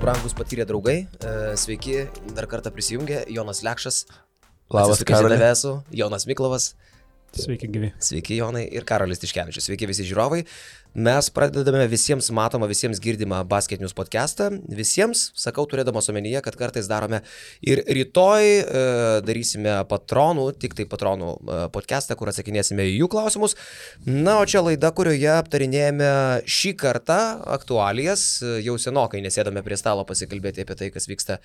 brangus patyrę draugai, sveiki, dar kartą prisijungė Jonas Lekšas. Labas, Karoli. Jonas Miklovas. Sveiki, gyvi. Sveiki, Jonai, ir Karolis Tiškevičius. Sveiki visi žiūrovai. Mes pradedame visiems matomą, visiems girdimą Basket News podcastą. Visiems, sakau, turėdamas omenyje, kad kartais darome ir rytoj darysime patronų, tik tai patronų podcastą, kur atsakinėsime į jų klausimus. Na, o čia laida, kurioje aptarinėjame šį kartą aktualijas. Jau senokai nesėdame prie stalo pasikalbėti apie tai, kas vyksta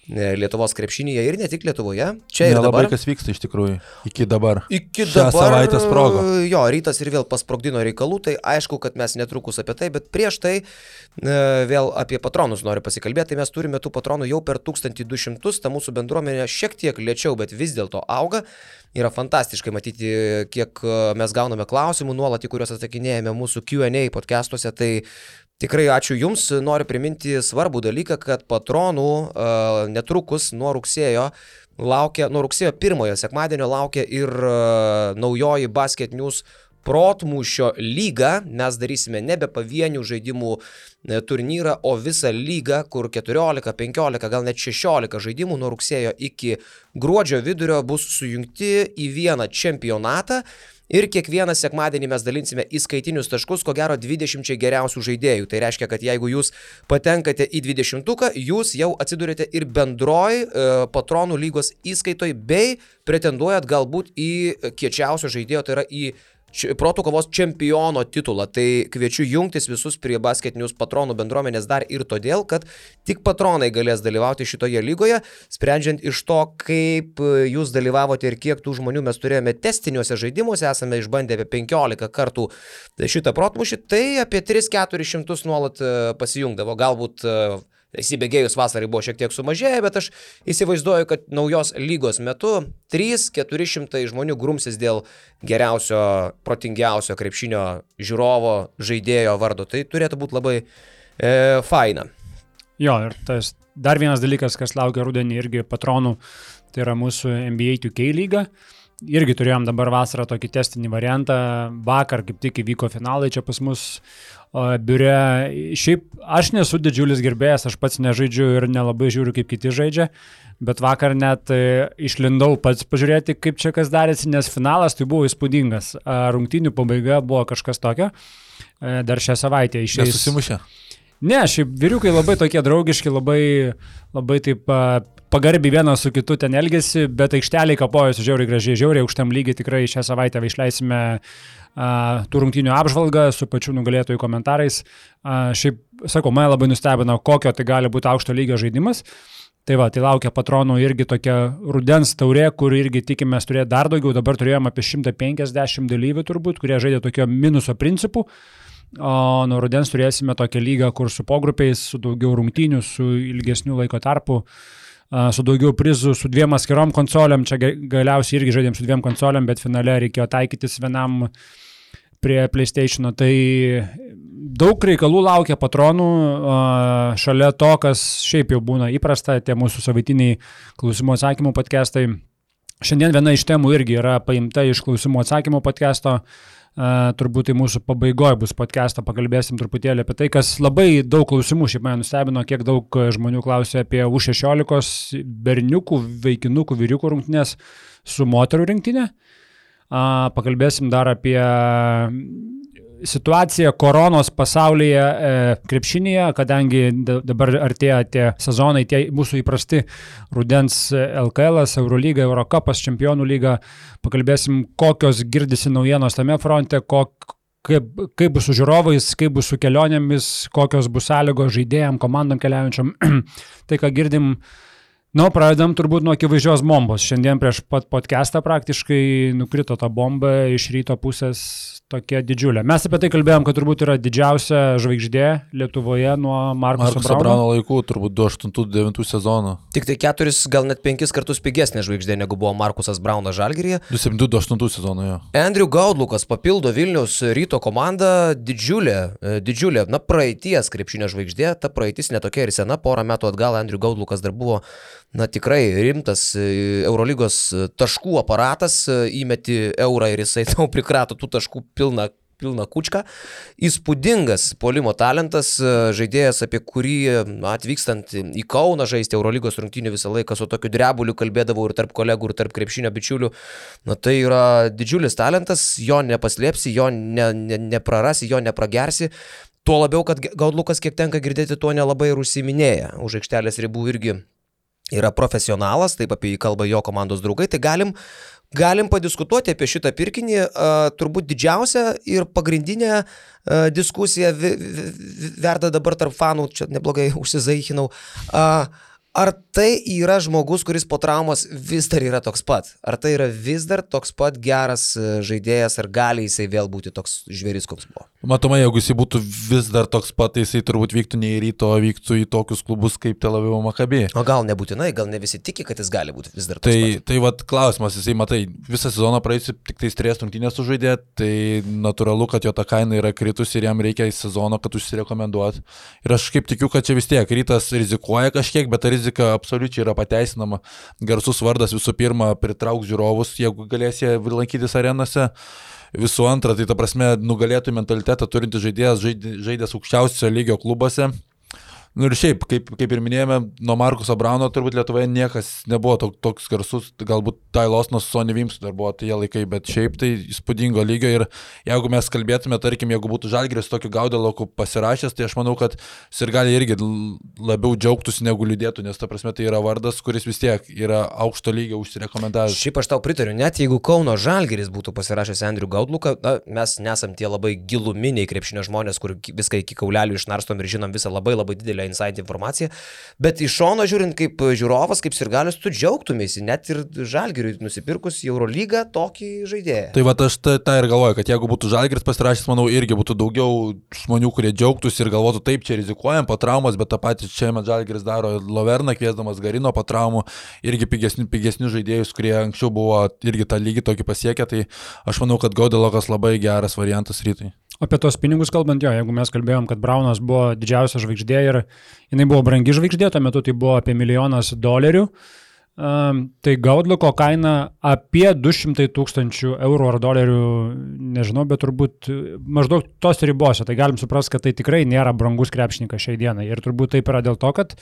Lietuvos krepšinyje ir ne tik Lietuvoje. Čia ir dabar. Labai kas vyksta iš tikrųjų. Iki dabar. Šią savaitę sprogo. Jo, rytas ir vėl pasprogdino reikalų, tai aišku, kad mes netrukus apie tai, bet prieš tai vėl apie patronus noriu pasikalbėti. Tai mes turime tų patronų jau per 1200, ta mūsų bendruomenė šiek tiek lėčiau, bet vis dėlto auga. Yra fantastiškai matyti, kiek mes gauname klausimų nuolat, į kuriuos atsakinėjame mūsų Q&A podcastuose. Tai tikrai ačiū Jums, noriu priminti svarbų dalyką, kad patronų netrukus nuo rugsėjo 1 sekmadienio laukia ir naujoji Basket News protmūšio lyga. Mes darysime nebe pavienių žaidimų turnyrą, o visą lygą, kur 14, 15, gal net 16 žaidimų nuo rugsėjo iki gruodžio vidurio bus sujungti į vieną čempionatą. Ir kiekvieną sekmadienį mes dalinsime įskaitinius taškus, ko gero 20 geriausių žaidėjų. Tai reiškia, kad jeigu jūs patenkate į 20-tuką, jūs jau atsidurite ir bendroj patronų lygos įskaitoj, bei pretenduojat galbūt į kiečiausio žaidėjo, tai yra į protų kovos čempiono titulą. Tai kviečiu jungtis visus prie Basket News patronų bendruomenės dar ir todėl, kad tik patronai galės dalyvauti šitoje lygoje, sprendžiant iš to, kaip jūs dalyvavote ir kiek tų žmonių mes turėjome testiniuose žaidimuose, esame išbandę apie 15 kartų šitą protmūšį, tai apie 300-400 nuolat pasijungdavo. Galbūt įsibėgėjus vasarai buvo šiek tiek sumažėję, bet aš įsivaizduoju, kad naujos lygos metu 300-400 žmonių grumsis dėl geriausio, protingiausio krepšinio žiūrovo žaidėjo vardo. Tai turėtų būti labai faina. Jo, ir tas dar vienas dalykas, kas laukia rudenį irgi patronų, tai yra mūsų NBA 2K lyga. Irgi turėjom dabar vasarą tokį testinį variantą. Vakar kaip tik įvyko finalai čia pas mus biure. Šiaip aš nesu didžiulis gerbėjas, aš pats nežaidžiu ir nelabai žiūriu, kaip kiti žaidžia, bet vakar net išlindau pats pažiūrėti, kaip čia kas darėsi, nes finalas tai buvo įspūdingas. Rungtynių pabaiga buvo kažkas tokio. Dar šią savaitę išeis. Nesusimušė? Ne, šiaip vyriukai labai tokie draugiški, labai taip pagarbiai vienas su kitu ten elgesi, bet aikšteliai kapojosi žiauriai gražiai, žiauriai aukštam lygiai. Tikrai šią savaitę išleisime tų rungtynių apžvalgą su pačiu nugalėtojų komentarais. Šiaip, sakau, mane labai nustebino, kokio tai gali būti aukšto lygio žaidimas. Tai va, tai laukia patronų irgi tokia rudens taurė, kur irgi tikimės turėti dar daugiau. Dabar turėjom apie 150 dalyvių turbūt, kurie žaidė tokio minuso principų. O nuo rudens turėsime tokią lygą, kur su pogrupiais, su daugiau rungtynių, su ilgesnių laiko tarpų, su daugiau prizų, su 2 atskirom konsolėm. Čia galiausiai irgi žaidėm su 2 konsolėm, bet finale reikėjo taikytis vienam prie PlayStation'o. Tai daug reikalų laukia patronų, šalia to, kas šiaip jau būna įprasta, tie mūsų savaitiniai klausimų atsakymų podcastai. Šiandien viena iš temų irgi yra paimta iš klausimų atsakymų podcasto. Turbūt tai mūsų pabaigoje bus podcastą, pakalbėsim truputėlį apie tai, kas labai daug klausimų šiaip mane nustebino, kiek daug žmonių klausė apie U16 berniukų, vaikinukų, vyriukų rungtynės su moterų rinktinė. Pakalbėsim dar apie situaciją koronos pasaulyje krepšinėje, kadangi dabar artėja tie sezonai, tie mūsų įprasti rudens LKL, Eurolyga, Eurocupas, Čempionų lyga. Pakalbėsim, kokios girdisi naujienos tame fronte, kaip bus su žiūrovais, kaip bus su kelionėmis, kokios bus sąlygos žaidėjam, komandom keliaujančiam. Tai, ką girdim, pradedam turbūt nuo akivaizdžios bombos. Šiandien prieš pat podcastą praktiškai nukrito ta bomba iš ryto pusės tokia didžiulė. Mes apie tai kalbėjom, kad turbūt yra didžiausia žvaigždė Lietuvoje nuo Markuso Brauno laikų, turbūt 2008-2009 sezono. Tik tai 4, gal net 5 kartus pigesnė žvaigždė, negu buvo Markusas Braunas Žalgiryje. 2007-2008 sezono, jo. Andrew Gaudlukas papildo Vilniaus Ryto komandą, didžiulė, praeities krepšinio žvaigždė. Ta praeitis netokia ir sena, porą metų atgal Andrew Gaudlukas dar buvo tikrai rimtas Eurolygos taškų aparatas, įmeti eurą ir jisai tau prikrato tų taškų pilną pilną kučką. Įspūdingas puolimo talentas, žaidėjas, apie kurį atvykstant į Kauną žaisti Eurolygos rungtynių visą laiką su tokiu drebuliu kalbėdavau ir tarp kolegų, ir tarp krepšinio bičiulių. Tai yra didžiulis talentas, jo nepaslėpsi, jo neprarasi, jo nepragersi. Tuo labiau, kad Gaudlukas, kiek tenka girdėti, tuo nelabai ir užsiminėja. Už aikštelės ribų irgi yra profesionalas, taip apie jį kalba jo komandos draugai, tai galim padiskutuoti apie šitą pirkinį. Turbūt didžiausia ir pagrindinė diskusija verda dabar tarp fanų, čia neblogai užsizaichinau. Ar tai yra žmogus, kuris po traumos vis dar yra toks pat? Ar tai yra vis dar toks pat geras žaidėjas, ar gali jisai vėl būti toks žvėris, koks buvo? Matomai, jeigu jisai būtų vis dar toks pat, tai jisai turbūt vyktų ne į Ryto, o vyktų į tokius klubus kaip Tel Avivo Maccabi. O gal nebūtinai, gal ne visi tiki, kad jis gali būti vis dar toks pat. Tai vat klausimas, jisai, matai, visą sezoną praėjusi tik tais 3 rungtynės sužaidė, tai natūralu, kad jo ta kaina yra kritus ir jam reikia į sezoną, kad užsirekomenduot. Ir aš kaip tikiu, kad čia vis tiek Rytas rizikuoja kažkiek, bet ta rizika absoliučiai yra pateisinama. Garsus vardas visų pirma pritrauks žiūrovus, jeigu galės jie lankytis arenose. Visų antra, tai ta prasme nugalėtų mentalitetą turintis žaidėjas, žaidęs aukščiausio lygio klubuose. Ir šiaip, kaip ir minėjome, nuo Markuso Brauno turbūt Lietuvoje niekas nebuvo toks garsus, galbūt Tai Losnas su Sonny Vimsu dar buvo tie laikai, bet šiaip tai įspūdingo lygio. Ir jeigu mes kalbėtume, tarkim, jeigu būtų Žalgiris tokiu Gaudeloku pasirašęs, tai aš manau, kad Sirgaliai irgi labiau džiaugtųsi negu liūdėtų, nes ta prasme tai yra vardas, kuris vis tiek yra aukšto lygio užsirekomendavęs. Šiaip aš tau pritariu, net jeigu Kauno Žalgiris būtų pasirašęs Andrių Gaudluką, mes nesam tie labai giluminiai krepšinio žmonės, kur viską iki kaulelių išnarstom ir žinom visą labai didelę inside informaciją, bet iš šono žiūrint kaip žiūrovas, kaip sirgalius, tu džiaugtumėsi, net ir Žalgiriui nusipirkus į Eurolygą tokį žaidėją. Tai va aš tą ir galvoju, kad jeigu būtų Žalgiris pasirašęs, manau, irgi būtų daugiau žmonių, kurie džiaugtųsi ir galvotų, taip, čia rizikuojam po traumos, bet tą patį čia Žalgiris daro Loverną, kviesdamas Garino po traumų, irgi pigesnių žaidėjus, kurie anksčiau buvo irgi tą lygį tokį pasiekę, tai aš manau, kad Gaudelokas labai geras variantas Rytui. Apie tos pinigus kalbant, jeigu mes kalbėjom, kad Braunas buvo didžiausia žvaigždė ir jinai buvo brangi žvaigždė, tuo metu tai buvo apie $1 000 000, tai Gaudluko kaina apie 200 000 eurų ar dolerių, nežinau, bet turbūt maždaug tos ribose, tai galim suprasti, kad tai tikrai nėra brangus krepšininkas šiai dienai ir turbūt taip yra dėl to, kad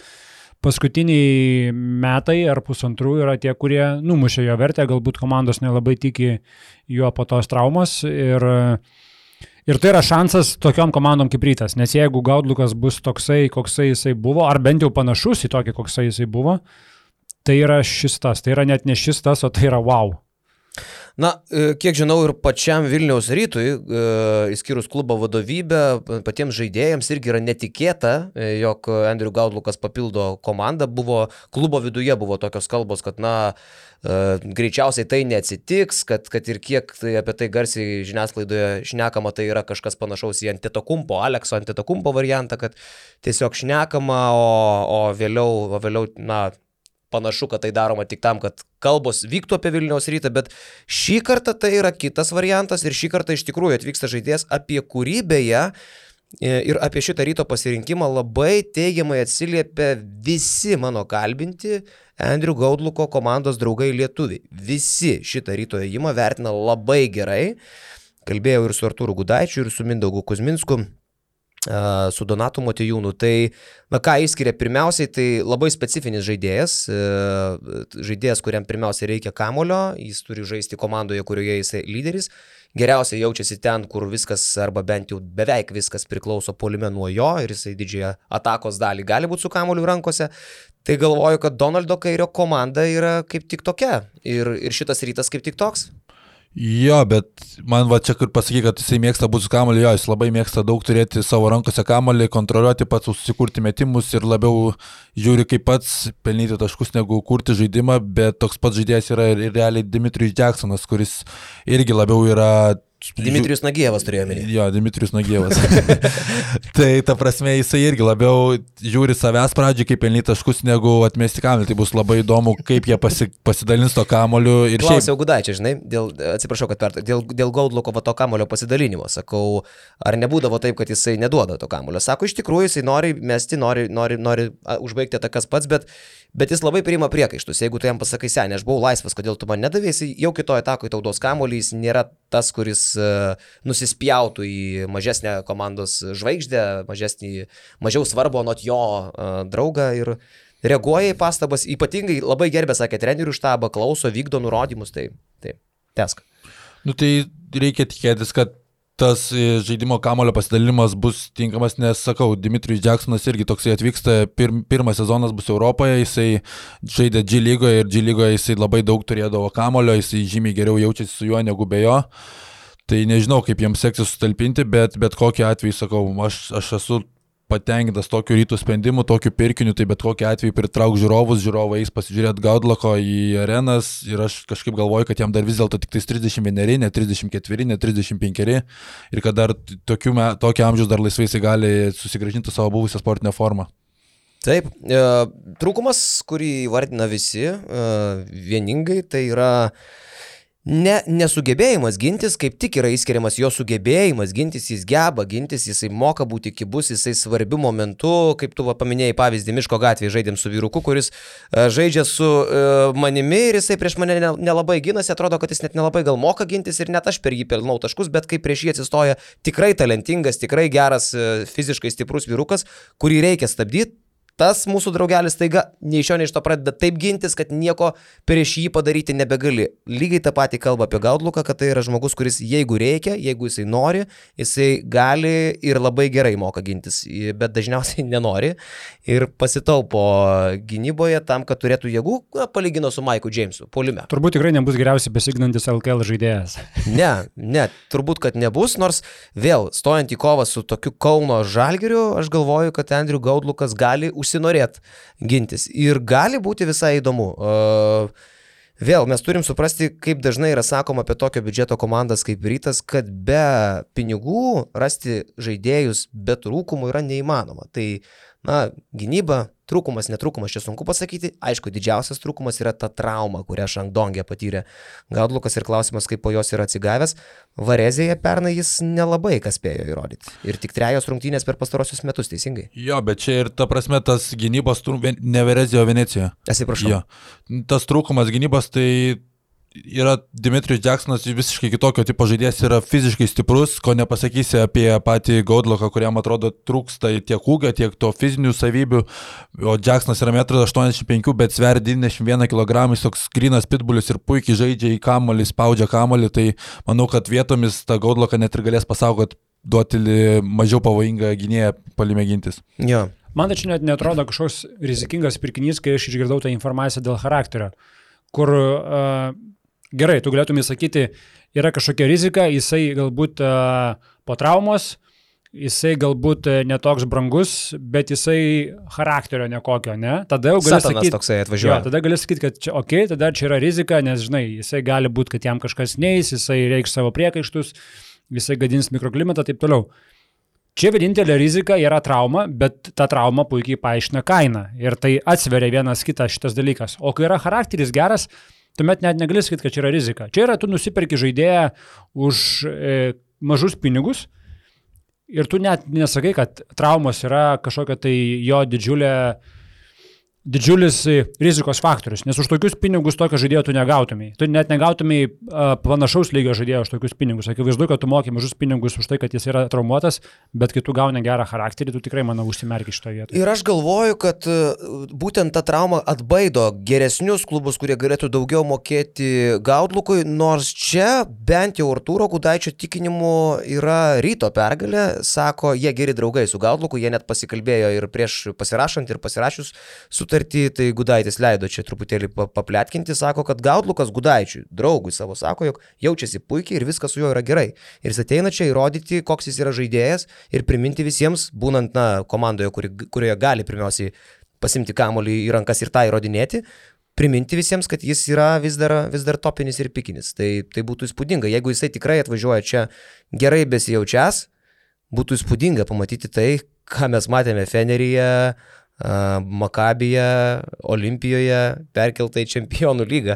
paskutiniai metai ar pusantrų yra tie, kurie numušė jo vertę, galbūt komandos nelabai tiki juo po tos traumos ir tai yra šansas tokiom komandom kaip Rytas, nes jeigu Gaudlukas bus toksai, koksai jisai buvo, ar bent jau panašus į tokį, koksai jisai buvo, tai yra šis tas, tai yra net ne šis tas, o tai yra wow. Na, kiek žinau ir pačiam Vilniaus Rytui, išskyrus klubo vadovybę, patiems žaidėjams irgi yra netikėta, jog Andrių Gaudlukas papildo komandą. Klubo viduje buvo tokios kalbos, kad greičiausiai tai neatsitiks, kad ir kiek tai apie tai garsiai žiniasklaidoje šnekama, tai yra kažkas panašaus į Antetokumpo, Alekso Antetokumpo variantą, kad tiesiog šnekama, o vėliau panašu, kad tai daroma tik tam, kad kalbos vyktų apie Vilniaus Rytą, bet šį kartą tai yra kitas variantas ir šį kartą iš tikrųjų atvyksta žaidėjas, apie kurį beje ir apie šitą Ryto pasirinkimą labai teigiamai atsiliepia visi mano kalbinti Andrių Gaudluko komandos draugai lietuviai. Visi šitą Ryto ėjimą vertina labai gerai. Kalbėjau ir su Artūru Gudaičiu, ir su Mindaugu Kuzminsku, su Donatu Motiejūnu. Tai, ką išskiria pirmiausiai, tai labai specifinis žaidėjas, kuriam pirmiausiai reikia kamulio, jis turi žaisti komandoje, kurioje jisai lyderis, geriausiai jaučiasi ten, kur viskas, arba bent jau beveik viskas priklauso puolime nuo jo ir jisai didžiąją atakos dalį gali būti su kamuoliu rankose. Tai galvoju, kad Donaldo Kairio komanda yra kaip tik tokia ir šitas Rytas kaip tik toks. Jo, bet man va čia kur pasaky, kad jisai mėgsta būti su kamuoliu, jis labai mėgsta daug turėti savo rankose kamuolį, kontroliuoti pats, susikurti metimus ir labiau žiūri kaip pats pelnyti taškus negu kurti žaidimą, bet toks pats žaidėjas yra ir realiai Dimitrijus Jacksonas, kuris irgi labiau yra... Dimitrijus Nagievas turėjo minėti. Jo, Dimitrijus Nagievas. Tai ta prasme jisai irgi labiau žiūri savęs pradžiai, kaip pelnyti taškus, negu atmesti kamuolį. Tai bus labai įdomu, kaip jie pasidalins to kamuoliu. Klausiau Gudaičio, žinai, atsiprašau, kad dėl Gaudluko to kamulio pasidalinimo. Sakau, ar nebūdavo taip, kad jisai neduoda to kamulio. Sako, iš tikrųjų jisai nori mesti, nori užbaigti atakas pats, bet jis labai priima priekaištus. Jeigu tu jam pasakai, senė, aš buvau laisvas, kodėl tu man nedavė, jisai jau kitoje atakoje tau duos kamuolį, jis nėra tas, kuris nusispjautų į mažesnę komandos žvaigždę, mažiau svarbu anot jo draugą ir reaguoja į pastabas, ypatingai labai gerbė, sakė, trenerių štabą, klauso, vykdo nurodymus, tai tęsk. Nu tai reikia tikėtis, kad tas žaidimo kamulio pasidalinimas bus tinkamas, nes, sakau, Dimitrijus Jacksonas irgi toksai atvyksta, pirmas sezonas bus Europoje, jisai žaidė G lygoje ir G lygoje jisai labai daug turėdavo kamulio, jisai žymiai geriau jaučiasi su juo negu be jo. Tai nežinau, kaip jiems seksis sutalpinti, bet kokiu atveju, sakau, aš esu patenkintas tokiu Rytų sprendimu, tokiu pirkiniu, tai bet kokiu atveju pritrauk žiūrovus, žiūrovai eis pasižiūrėti Gaudlako į arenas ir aš kažkaip galvoju, kad jam dar vis dėlto tik 31, ne 34, ne 35 ir kad dar tokio amžiaus dar laisvai jisai gali susigrąžinti savo buvusią sportinę formą. Taip, trūkumas, kurį vardina visi vieningai, tai yra nesugebėjimas gintis, kaip tik yra įskiriamas jo sugebėjimas gintis, jis geba gintis, jisai moka būti kibus, jisai svarbiu momentu, kaip tu paminėjai pavyzdį, Miško gatvėje žaidėm su vyruku, kuris žaidžia su manimi ir jisai prieš mane nelabai ginasi, atrodo, kad jis net nelabai gal moka gintis ir net aš per jį pelnau taškus, bet kai prieš jį atsistoja tikrai talentingas, tikrai geras, fiziškai stiprus vyrukas, kurį reikia stabdyti. Tas mūsų draugelis taiga nei iš jo, nei iš to pradeda taip gintis, kad nieko prieš jį padaryti nebegali. Lygiai tą patį kalba apie Gaudluką, kad tai yra žmogus, kuris jeigu reikia, jeigu jisai nori, jisai gali ir labai gerai moka gintis, bet dažniausiai nenori ir pasitaupo gynyboje tam, kad turėtų jėgų, palygino su Maiku Jamesu, puolime. Turbūt tikrai nebus geriausiai besignantis LKL žaidėjas. Ne, turbūt, kad nebus, nors vėl, stojant į kovą su tokiu Kauno Žalgiriu, aš galvoju, kad Andrius Gaudlukas gali užsinorėt gintis. Ir gali būti visai įdomu. Vėl mes turim suprasti, kaip dažnai yra sakoma apie tokio biudžeto komandas kaip Rytas, kad be pinigų rasti žaidėjus be trūkumų yra neįmanoma. Tai, gynyba, trūkumas, netrūkumas, čia sunku pasakyti. Aišku, didžiausias trūkumas yra ta trauma, kurią Šangdongė patyrė Gaudlukas ir klausimas, kaip po jos yra atsigavęs. Varezėje pernai jis nelabai kas spėjo įrodyti. Ir tik 3 rungtynės per pastarosius metus, teisingai. Jo, bet čia ir ta prasme tas gynybos, ne Varezėje, o Venecijoje. Atsiprašau. Jo. Tas trūkumas gynybos, tai yra Dimitrijus Jacksonas visiškai kitokio tipo žaidėjas, yra fiziškai stiprus, ko nepasakysi apie patį Gaudlaką, kuriam atrodo trūksta tiek ūgio, tiek to fizinių savybių, o Jacksonas yra 1,85 m, bet sveria 91 kg, jis toks grynas pitbulis ir puikiai žaidžia į kamuolį, spaudžia kamuolį, tai manau, kad vietomis tą Gaudlaką net ir galės pasaugoti, duoti mažiau pavojingą gynėją palime gintis. Jo. Man tai čia net netrodo kažkoks rizikingas pirkinys, kai aš išgirdau tą informaciją dėl charakterio, kur gerai, tu galėtum įsakyti, yra kažkokia rizika, jisai galbūt po traumos, jisai galbūt netoks brangus, bet jisai charakterio nekokio, ne? Tada jau gali sakyti, toksai atvažiuoja. Tada gali sakyti, kad čia, tada čia yra rizika, nes, žinai, jisai gali būti, kad jam kažkas neis, jisai reikš savo priekaištus, jisai gadins mikroklimatą, taip toliau. Čia vienintelė rizika yra trauma, bet ta trauma puikiai paaiškina kainą ir tai atsveria vienas kitą šitas dalykas. O kai yra charakteris geras, tuomet net negali sakyti, kad čia yra rizika. Čia yra, tu nusiperki žaidėją už mažus pinigus ir tu net nesakai, kad traumos yra kažkokia tai jo didžiulis rizikos faktorius, nes už tokius pinigus tokio žaidėjo tu negautumai. Tu net negautumai panašaus lygio žaidėjo už tokius pinigus. Akivaizdu, kad tu moki mažus pinigus už tai, kad jis yra traumuotas, bet kai tu gauni gerą charakterį, tu tikrai, manau, užsimerki šitoje vietoje. Ir aš galvoju, kad būtent ta trauma atbaido geresnius klubus, kurie galėtų daugiau mokėti Gaudlukui, nors čia bent jau Artūro Gudaičio tikinimu yra Ryto pergalė, sako, jie geri draugai su Gaudluku, jie net pasikalbėjo ir prieš pasirašant ir pasirašius sutartį, tai Gudaitis leido čia truputėlį papletkinti, sako, kad Gaudlukas Gudaičiui, draugui savo, sako, jog jaučiasi puikiai ir viskas su juo yra gerai. Ir jis ateina čia įrodyti, koks jis yra žaidėjas ir priminti visiems, būnant komandoje, kurioje gali pirmiausiai pasimti kamuolį į rankas ir tą įrodinėti, priminti visiems, kad jis yra vis dar topinis ir pikinis. Tai būtų įspūdinga. Jeigu jisai tikrai atvažiuoja čia gerai besijaučias, būtų įspūdinga pamatyti tai, ką mes matėme Feneryje, Makabije, Olimpijoje, perkelta į Čempionų lygą,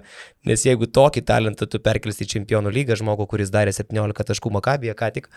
nes jeigu tokį talentą tu perkelsi į Čempionų lygą, žmogų, kuris darė 17 taškų Makabije ką tik,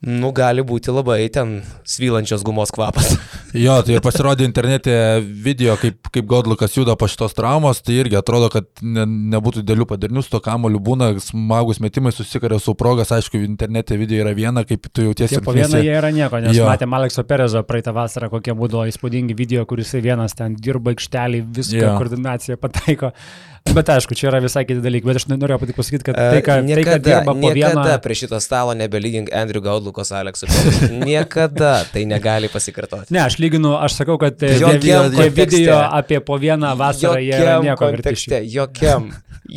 Nu, gali būti labai ten svylančios gumos kvapas. Jo, tai ir pasirodė internete video, kaip Godlukas juda po šitos traumos, tai irgi atrodo, kad nebūtų dėlių padarnių, su to kamoliu būna smagus metimai, susikarė su progas, aišku, internete video yra viena, kaip tu jautiesi. Po vieną jie yra nieko, nes matėm Alekso Perezo praeitą vasarą, kokie būdavo įspūdingi video, kuris vienas ten dirba aikštelį, viską koordinaciją pataiko. Bet aišku, čia yra visai kiti dalykai, bet aš norėjau tik pasakyti, kad tai, kad dirba po vieną... Niekada prie šito stalo nebelygink Andrew Godlukos Aleksu Perezo. Niekada tai negali pasikartoti. Ne, aš lyginu, aš sakau, kad tie video apie po vieną vasarą jie yra nieko verti.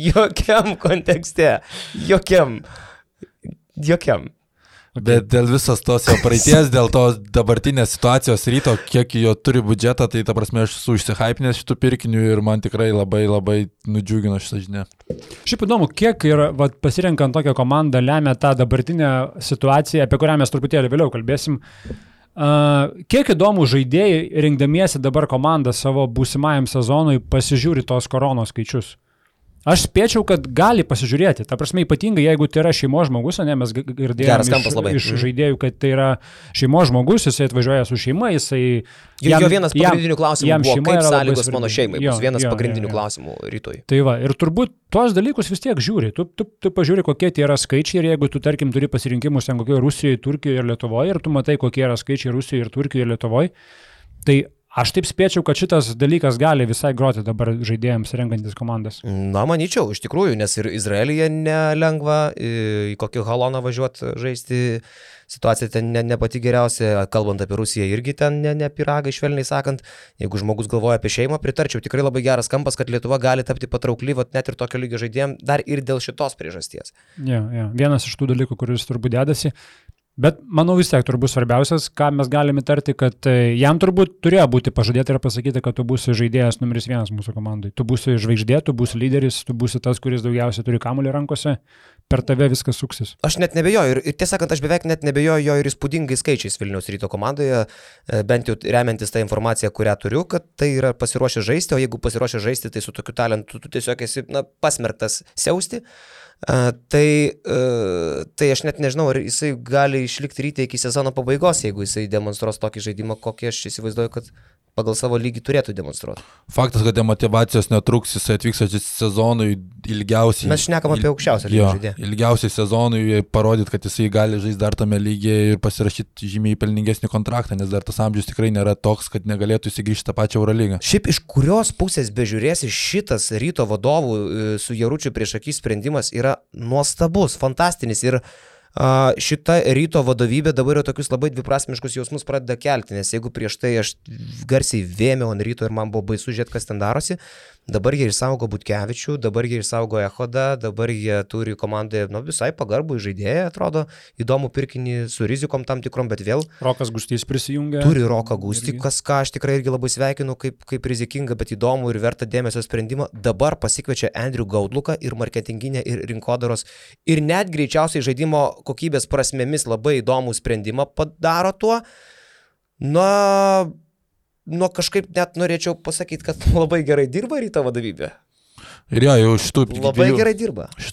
Jokiam kontekste. Jokiam. Bet dėl visos tos jo praeities, dėl tos dabartinės situacijos Ryto, kiek jo turi biudžetą, tai ta prasme aš esu išsihypinęs šitų pirkinių ir man tikrai labai nudžiugino šitą žinią. Šiaip įdomu, kiek ir pasirenkant tokią komandą lemia tą dabartinę situaciją, apie kurią mes truputėlį vėliau kalbėsim. Kiek įdomų žaidėjai, rinkdamiesi dabar komandą savo būsimajam sezonui, pasižiūri tos koronos skaičius. Aš spėčiau, kad gali pasižiūrėti. Ta prasme, ypatingai, jeigu tai yra šeimos žmogus, ne, mes girdėjome iš žaidėjų, kad tai yra šeimos žmogus, jisai atvažiuoja su šeima, jisai... Jo vienas pagrindinių klausimų buvo, kaip sąlygos mano šeimai, bus vienas pagrindinių klausimų Rytoj. Tai va, ir turbūt tuos dalykus vis tiek žiūri. Tu pažiūri, kokie tie yra skaičiai ir jeigu tu, tarkim, turi pasirinkimus ten kokioje Rusijoje, Turkijoje ir Lietuvoje ir tu matai, kokie yra skaičiai Rusijoje ir Turkijoje ir Lietuvoje, tai aš taip spėčiau, kad šitas dalykas gali visai groti dabar žaidėjams renkantis komandas. Na, manyčiau, iš tikrųjų, nes ir Izraelyje nelengva į kokį haloną važiuoti žaisti. Situacija ten ne pati geriausia, kalbant apie Rusiją, irgi ten ne piragai, švelniai sakant. Jeigu žmogus galvoja apie šeimą, pritarčiau. Tikrai labai geras kampas, kad Lietuva gali tapti patraukli, net ir tokio lygio žaidėjim, dar ir dėl šitos priežasties. Ja. Vienas iš tų dalykų, kuris turbūt dedasi. Bet manau vis tiek turbūt svarbiausias, ką mes galime tarti, kad jam turbūt turėjo būti pažadėta ir pasakyti, kad tu būsi žaidėjas numeris 1 mūsų komandai. Tu būsi žvaigždė, tu būsi lyderis, tu būsi tas, kuris daugiausiai turi kamuolį rankose, per tave viskas suksis. Aš net nebejoju ir tiesą sakant, aš beveik net nebejoju jo ir įspūdingai skaičiais Vilniaus Ryto komandoje, bent jau remiantis tą informaciją, kurią turiu, kad tai yra pasiruošę žaisti, o jeigu pasiruošę žaisti, tai su tokiu talentu tu tiesiog esi pasmerktas siausti. Tai aš net nežinau, ar jisai gali išlikti Ryte iki sezono pabaigos, jeigu jisai demonstruos tokį žaidimą, kokį aš įsivaizduoju, kad pagal savo lygį turėtų demonstruoti. Faktas, kad demotyvacijos netruks, jisai atvyks sezonui ilgiausiai. Mes šnekam apie aukščiausią lygį žaidėją. Ilgiausiai sezonui parodyti, kad jisai gali žaisti dar tame lygyje ir pasirašyti žymiai pelningesnį kontraktą, nes dar tas amžius tikrai nėra toks, kad negalėtų įsigrįžti tą pačią Eurolygą. Šiaip iš kurios pusės bežiūrėsi, šitas Ryto vadovų su Jaručiu prieš akį sprendimas yra nuostabus, fantastinis ir šita Ryto vadovybė dabar jau tokius labai dviprasmiškus jausmus pradeda kelti, nes jeigu prieš tai aš garsiai vėmiau ant Ryto ir man buvo baisu žiūrėti, kas ten darosi, dabar jie išsaugo Butkevičių, dabar jie išsaugo Echodą, dabar jie turi komandoje visai pagarbų žaidėją, atrodo, įdomų pirkinį su rizikom tam tikrom, bet vėl Rokas Gustys prisijungia. Turi Roką Gustį, ką aš tikrai irgi labai sveikinu kaip rizikingą, bet įdomų ir vertą dėmesio sprendimą. Dabar pasikviečia Andrew Godluką ir marketinginę ir rinkodaros ir net greičiausiai žaidimo kokybės prasmėmis labai įdomų sprendimą padaro tuo. Kažkaip net norėčiau pasakyti, kad labai gerai dirba Ryto vadovybė. Ir jau šitų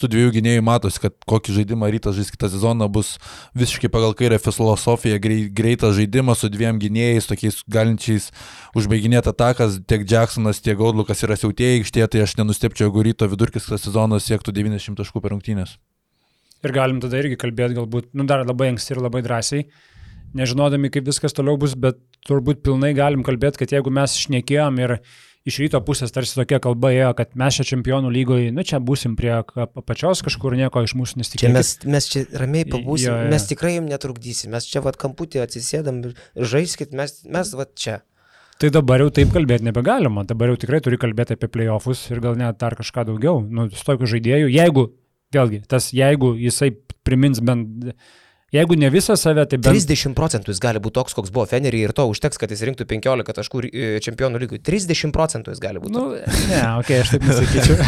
dviejų gynėjų matosi, kad kokį žaidimą Rytas žais kitą sezoną bus visiškai pagal kairę filosofiją, greitas žaidimas su dviem gynėjais, tokiais galinčiais užbaiginėti atakas, tiek Jacksonas, tiek Godlukas yra siautėjai aikštėje, tai aš nenustepčiau, jeigu Ryto vidurkis kitą sezoną siektų 90 taškų per rungtynes. Ir galim tada irgi kalbėti galbūt, dar labai anksti ir labai drąsiai, nežinodami, kaip viskas toliau bus, bet turbūt pilnai galim kalbėti, kad jeigu mes šnekėjom ir iš Ryto pusės tarsi tokia kalba ėjo, kad mes čia čempionų lygoje, čia būsim prie apačios kažkur, nieko iš mūsų nesitikėkit. Mes čia ramiai pabūsim, mes tikrai jums netrukdysim, mes čia kamputį atsisėdam, žaiskit, mes čia. Tai dabar jau taip kalbėti nebegalima, dabar jau tikrai turi kalbėti apie playoffus ir gal net dar kažką daugiau, su tokiu žaidėju, jeigu jisai primins bent, jeigu ne visą save, tai bent... 30% jis gali būti toks, koks buvo Fenerį ir to užteks, kad jis rinktų 15 taškų čempionų lygui. 30% jis gali būti. Aš taip nesakyčiau.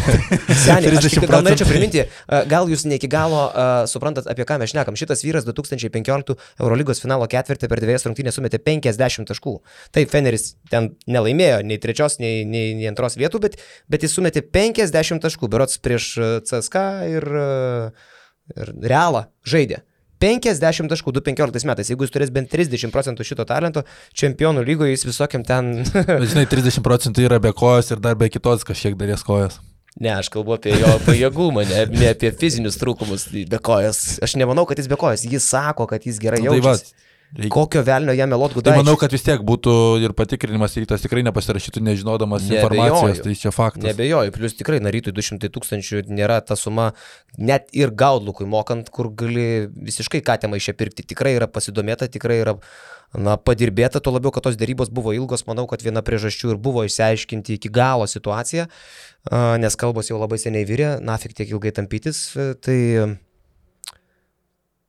Seniai, aš gal norėčiau priminti, gal jūs ne iki galo suprantat, apie ką mes šnekam. Šitas vyras 2015 Eurolygos finalo ketvirtį per 2 rungtynės sumetė 50 taškų. Taip, Feneris ten nelaimėjo nei 3, nei 2 vietų, bet jis sumetė 50 taškų, berods prieš CSKA ir Realą žaidė. 50 taškų 2015 metais. Jeigu jis turės bent 30% šito talento, čempionų lygoje jis visokiam ten... Žinai, 30% yra be kojos ir dar be kitos kažkiek dalies kojas. Ne, aš kalbu apie jo pajėgumą, ne apie fizinius trūkumus be kojas. Aš nemanau, kad jis be kojas. Jis sako, kad jis gerai jaučiasi. Kokio velnio jam melot Gudaičiui? Tai manau, kad vis tiek būtų ir patikrinimas Rytas tikrai nepasirašytų nežinodamas informacijos, tai čia faktas. Nebejoju, plus tikrai na Rytui 200 000 nėra ta suma, net ir Gaudlukui mokant, kur gali visiškai katėmą iš čia pirkti. Tikrai yra pasidomėta, tikrai yra padirbėta, tuo labiau, kad tos dėrybos buvo ilgos, manau, kad viena priežasčių ir buvo išsiaiškinti iki galo situaciją, nes kalbos jau labai seniai virė, nafik tiek ilgai tampytis,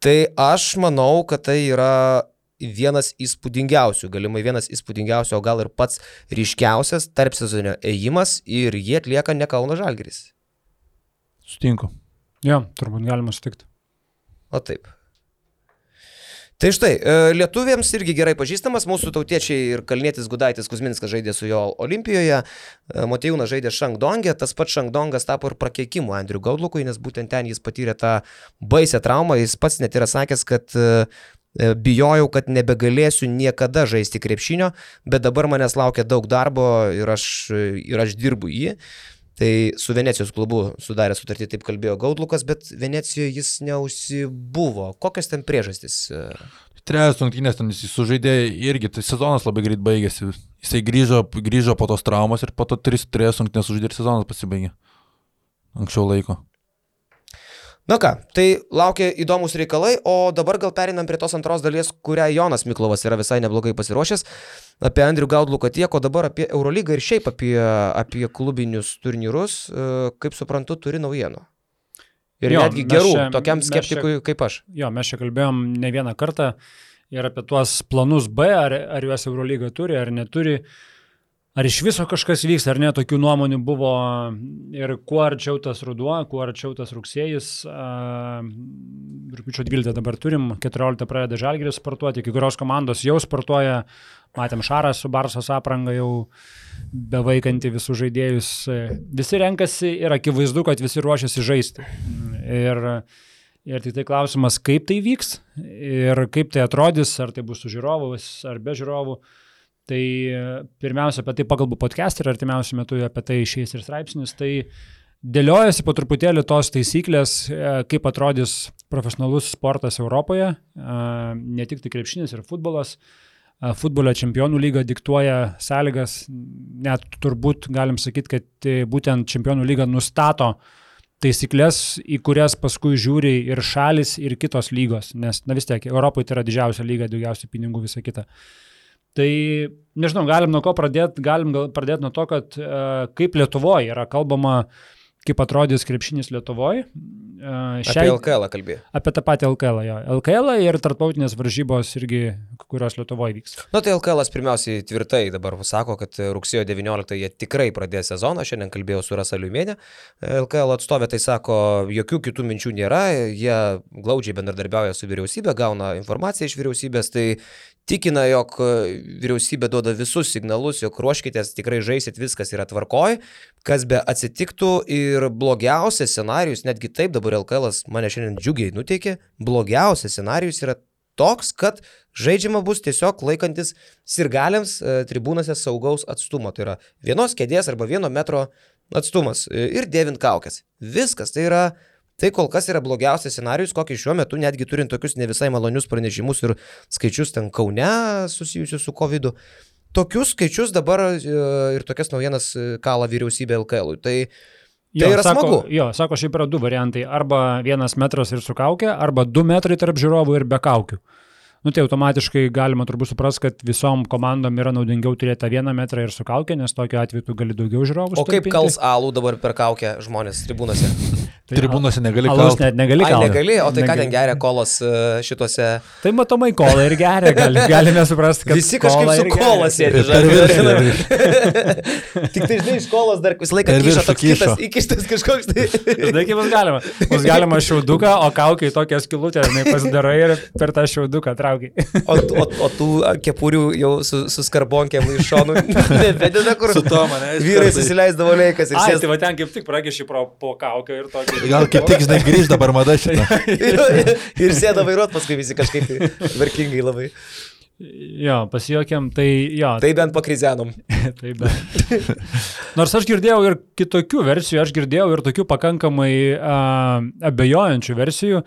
tai aš manau, kad tai yra vienas įspūdingiausių, galimai vienas įspūdingiausių, o gal ir pats ryškiausias tarp sezonio ėjimas ir jie atlieka ne Kauno Žalgiris. Sutinku. Jo, turbūt galima sutikti. O taip. Tai štai, lietuviams irgi gerai pažįstamas, mūsų tautiečiai ir Kalnietis Gudaitis Kuzminskas žaidė su jo Olimpijoje, Motiejūnas žaidė Šangdonge, tas pats Šangdongas tapo ir prakeikimu Andriu Gaudlukui, nes būtent ten jis patyrė tą baisę traumą, jis pats net yra sakęs, kad bijojau, kad nebegalėsiu niekada žaisti krepšinio, bet dabar manęs laukia daug darbo ir aš dirbu jį. Tai su Venecijos klubu sudarė sutartį, taip kalbėjo Gaudlukas, bet Venecijoje jis neužsibuvo. Kokios ten priežastys? Trejas rungtynės ten jis sužaidė irgi, tai sezonas labai greit baigėsi. Jisai grįžo po tos traumos ir po to 3 rungtynės sužaidė ir sezonas pasibaigė. Anksčiau laiko. Na ką, tai laukia įdomus reikalai, o dabar gal perinam prie tos antros dalies, kurią Jonas Miklovas yra visai neblogai pasiruošęs. Apie Andrių Gaudluką tiek, o dabar apie Eurolygą ir šiaip apie klubinius turnyrus, kaip suprantu, turi naujienų. Ir netgi gerų, tokiam skeptikui kaip aš. Jo, mes čia kalbėjom ne vieną kartą ir apie tuos planus B, ar juos Eurolyga turi, ar neturi. Ar iš viso kažkas vyks, ar ne, tokių nuomonių buvo ir kuo arčiau tas ruduo, kuo arčiau tas rugsėjis. Rugpjūčio 12 dabar turim, 14 pradeda Žalgiris sportuoti, kai kurios komandos jau sportuoja, matėm Šarą su Barsos apranga jau bevaikantį visus žaidėjus. Visi renkasi ir akivaizdu, kad visi ruošiasi žaisti. Ir tik tai klausimas, kaip tai vyks ir kaip tai atrodys, ar tai bus su žiūrovais, ar be žiūrovų. Tai pirmiausia, apie tai pakalbu podcast ir artimiausiu metu apie tai išeis ir straipsnis. Tai dėliojasi po truputėlį tos taisyklės, kaip atrodys profesionalus sportas Europoje, ne tik tai krepšinis ir futbolas. Futbolio čempionų lyga diktuoja sąlygas, net turbūt galim sakyti, kad būtent čempionų lyga nustato taisyklės, į kurias paskui žiūri ir šalis, ir kitos lygos, nes vis tiek Europoje tai yra didžiausia lyga, daugiausiai pinigų, visa kita. Tai, nežinau, galim nuo ko pradėti, pradėti nuo to, kad kaip Lietuvoje yra kalbama, kaip atrodys krepšinis Lietuvoje. Apie LKL kalbėjo. Apie tą patį LKL, jo. LKL ir tarptautinės varžybos irgi, kurios Lietuvoje vyks. Tai LKL pirmiausiai tvirtai dabar sako, kad rugsėjo 19 jie tikrai pradės sezoną, šiandien kalbėjau su Rasa Liumienė. LKL atstovė tai sako, jokių kitų minčių nėra, jie glaudžiai bendradarbiauja su vyriausybė, gauna informaciją iš vyriausybės, tai tikina, jog vyriausybė duoda visus signalus, jog ruoškitės, tikrai žaisit, viskas yra tvarkoj, kas be atsitiktų ir blogiausias scenarijus, netgi taip dabar LKL mane šiandien džiugiai nuteikė, blogiausias scenarijus yra toks, kad žaidžiama bus tiesiog laikantis sirgaliams tribūnose saugaus atstumo, tai yra 1 kėdės arba 1 metro atstumas ir dėvint kaukes. Viskas, tai kol kas yra blogiausias scenarijus, kokį šiuo metu, netgi turint tokius ne visai malonius pranešimus ir skaičius ten Kaune susijusius su COVID-u. Tokius skaičius dabar ir tokias naujienas kala vyriausybė LKL-ui. Tai yra smagu. Sako, šiaip yra 2 variantai. Arba 1 metras ir su kaukė, arba 2 metrai tarp žiūrovų ir be kaukių. Tai automatiškai galima turbūt supras, kad visom komandom yra naudingiau turėti 1 metrą ir su kaukė, nes tokiu atveju tu gali daugiau žiūrovų. O kaip kals alų dabar per kaukę žmonės tribūnose? Tai tribūnose negali kalti. Alus net negali kalti. Negali, o tai ką ten geria kolos šituose? Tai matomai kolą ir geria, galime suprasti, kad visi kažkaip su kola sėdi. Tik tai žinai, iš kolos dar visą laiką kyšo toks kitas, įkištas kažkoks. Žinai, kaip bus galima šiauduką, o kaukiai tokią skilutę, pasidarai ir per tą šiauduką traukiai. O tų kepurių jau su skarbonkėm iš šonų nevedina, kur su to mane vyrai susileisdavo leikas ir sėdavo. Tai va ten kaip tik pragiši po kaukę ir tokį Gal kaip tik, žinai, grįž dabar mada šitą. Ir sėda vairuot, paskui visi kažkaip verkingai labai. Jo, pasijuokiam, tai jo. Tai bent pakrizenom. Tai bent. Nors aš girdėjau ir kitokių versijų, aš girdėjau ir tokių pakankamai abejojančių versijų,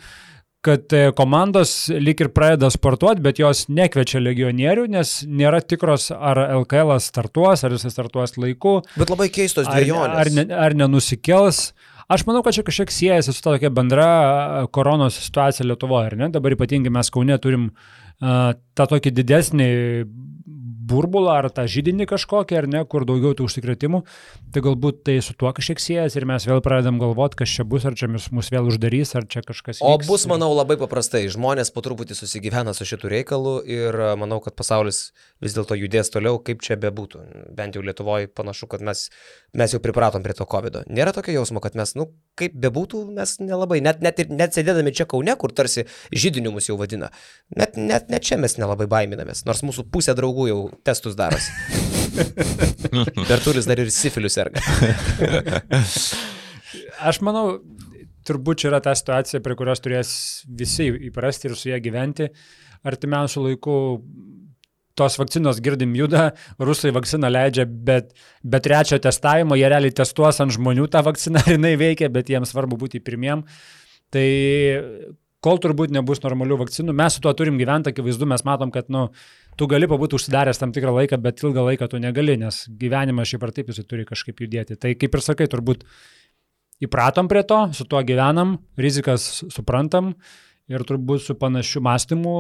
kad komandos lyg ir pradeda sportuoti, bet jos nekviečia legionierių, nes nėra tikros, ar LKL startuos, ar jis startuos laiku. Bet labai keistos dvejonės. Ar nenusikels. Aš manau, kad čia kažkiek siejasi su tokia bendra koronos situacija Lietuvoje, ar ne? Dabar ypatingai mes Kaune turim tą tokį didesnį burbulą ar tą židinį kažkokį, ar ne, kur daugiau tų užsikrėtimų, tai galbūt tai su tuo kažkiek siejas ir mes vėl pradedam galvoti, kas čia bus, ar čia mus vėl uždarys, ar čia kažkas vyks. O bus, manau, labai paprastai. Žmonės po truputį susigyvena su šitų reikalų ir manau, kad pasaulis vis dėlto judės toliau, kaip čia bebūtų. Bent jau Lietuvoje panašu, kad mes jau pripratom prie to COVID-o. Nėra tokio jausmo, kad mes, kaip bebūtų, mes nelabai, net sėdėdami čia Kaune, kur tarsi židiniu mus jau vadina, net čia mes nelabai baiminamės, nors mūsų pusė draugų jau testus darosi. Bertulis dar ir sifiliu serga. Aš manau, turbūt čia yra ta situacija, prie kurios turės visi įprasti ir su ją gyventi. Artimiausių laikų tos vakcinos girdim juda, rusai vakciną leidžia, bet be trečio testavimo jie realiai testuos ant žmonių tą vakciną, ar jinai veikia, bet jiems svarbu būti pirmiem. Tai kol turbūt nebus normalių vakcinų, mes su tuo turim gyventi, akivaizdu, mes matom, kad tu gali pabūti užsidaręs tam tikrą laiką, bet ilgą laiką tu negali, nes gyvenimas šiaip ar taip jis turi kažkaip judėti. Tai kaip ir sakai, turbūt įpratom prie to, su tuo gyvenam, rizikas suprantam ir turbūt su panašiu mąstymu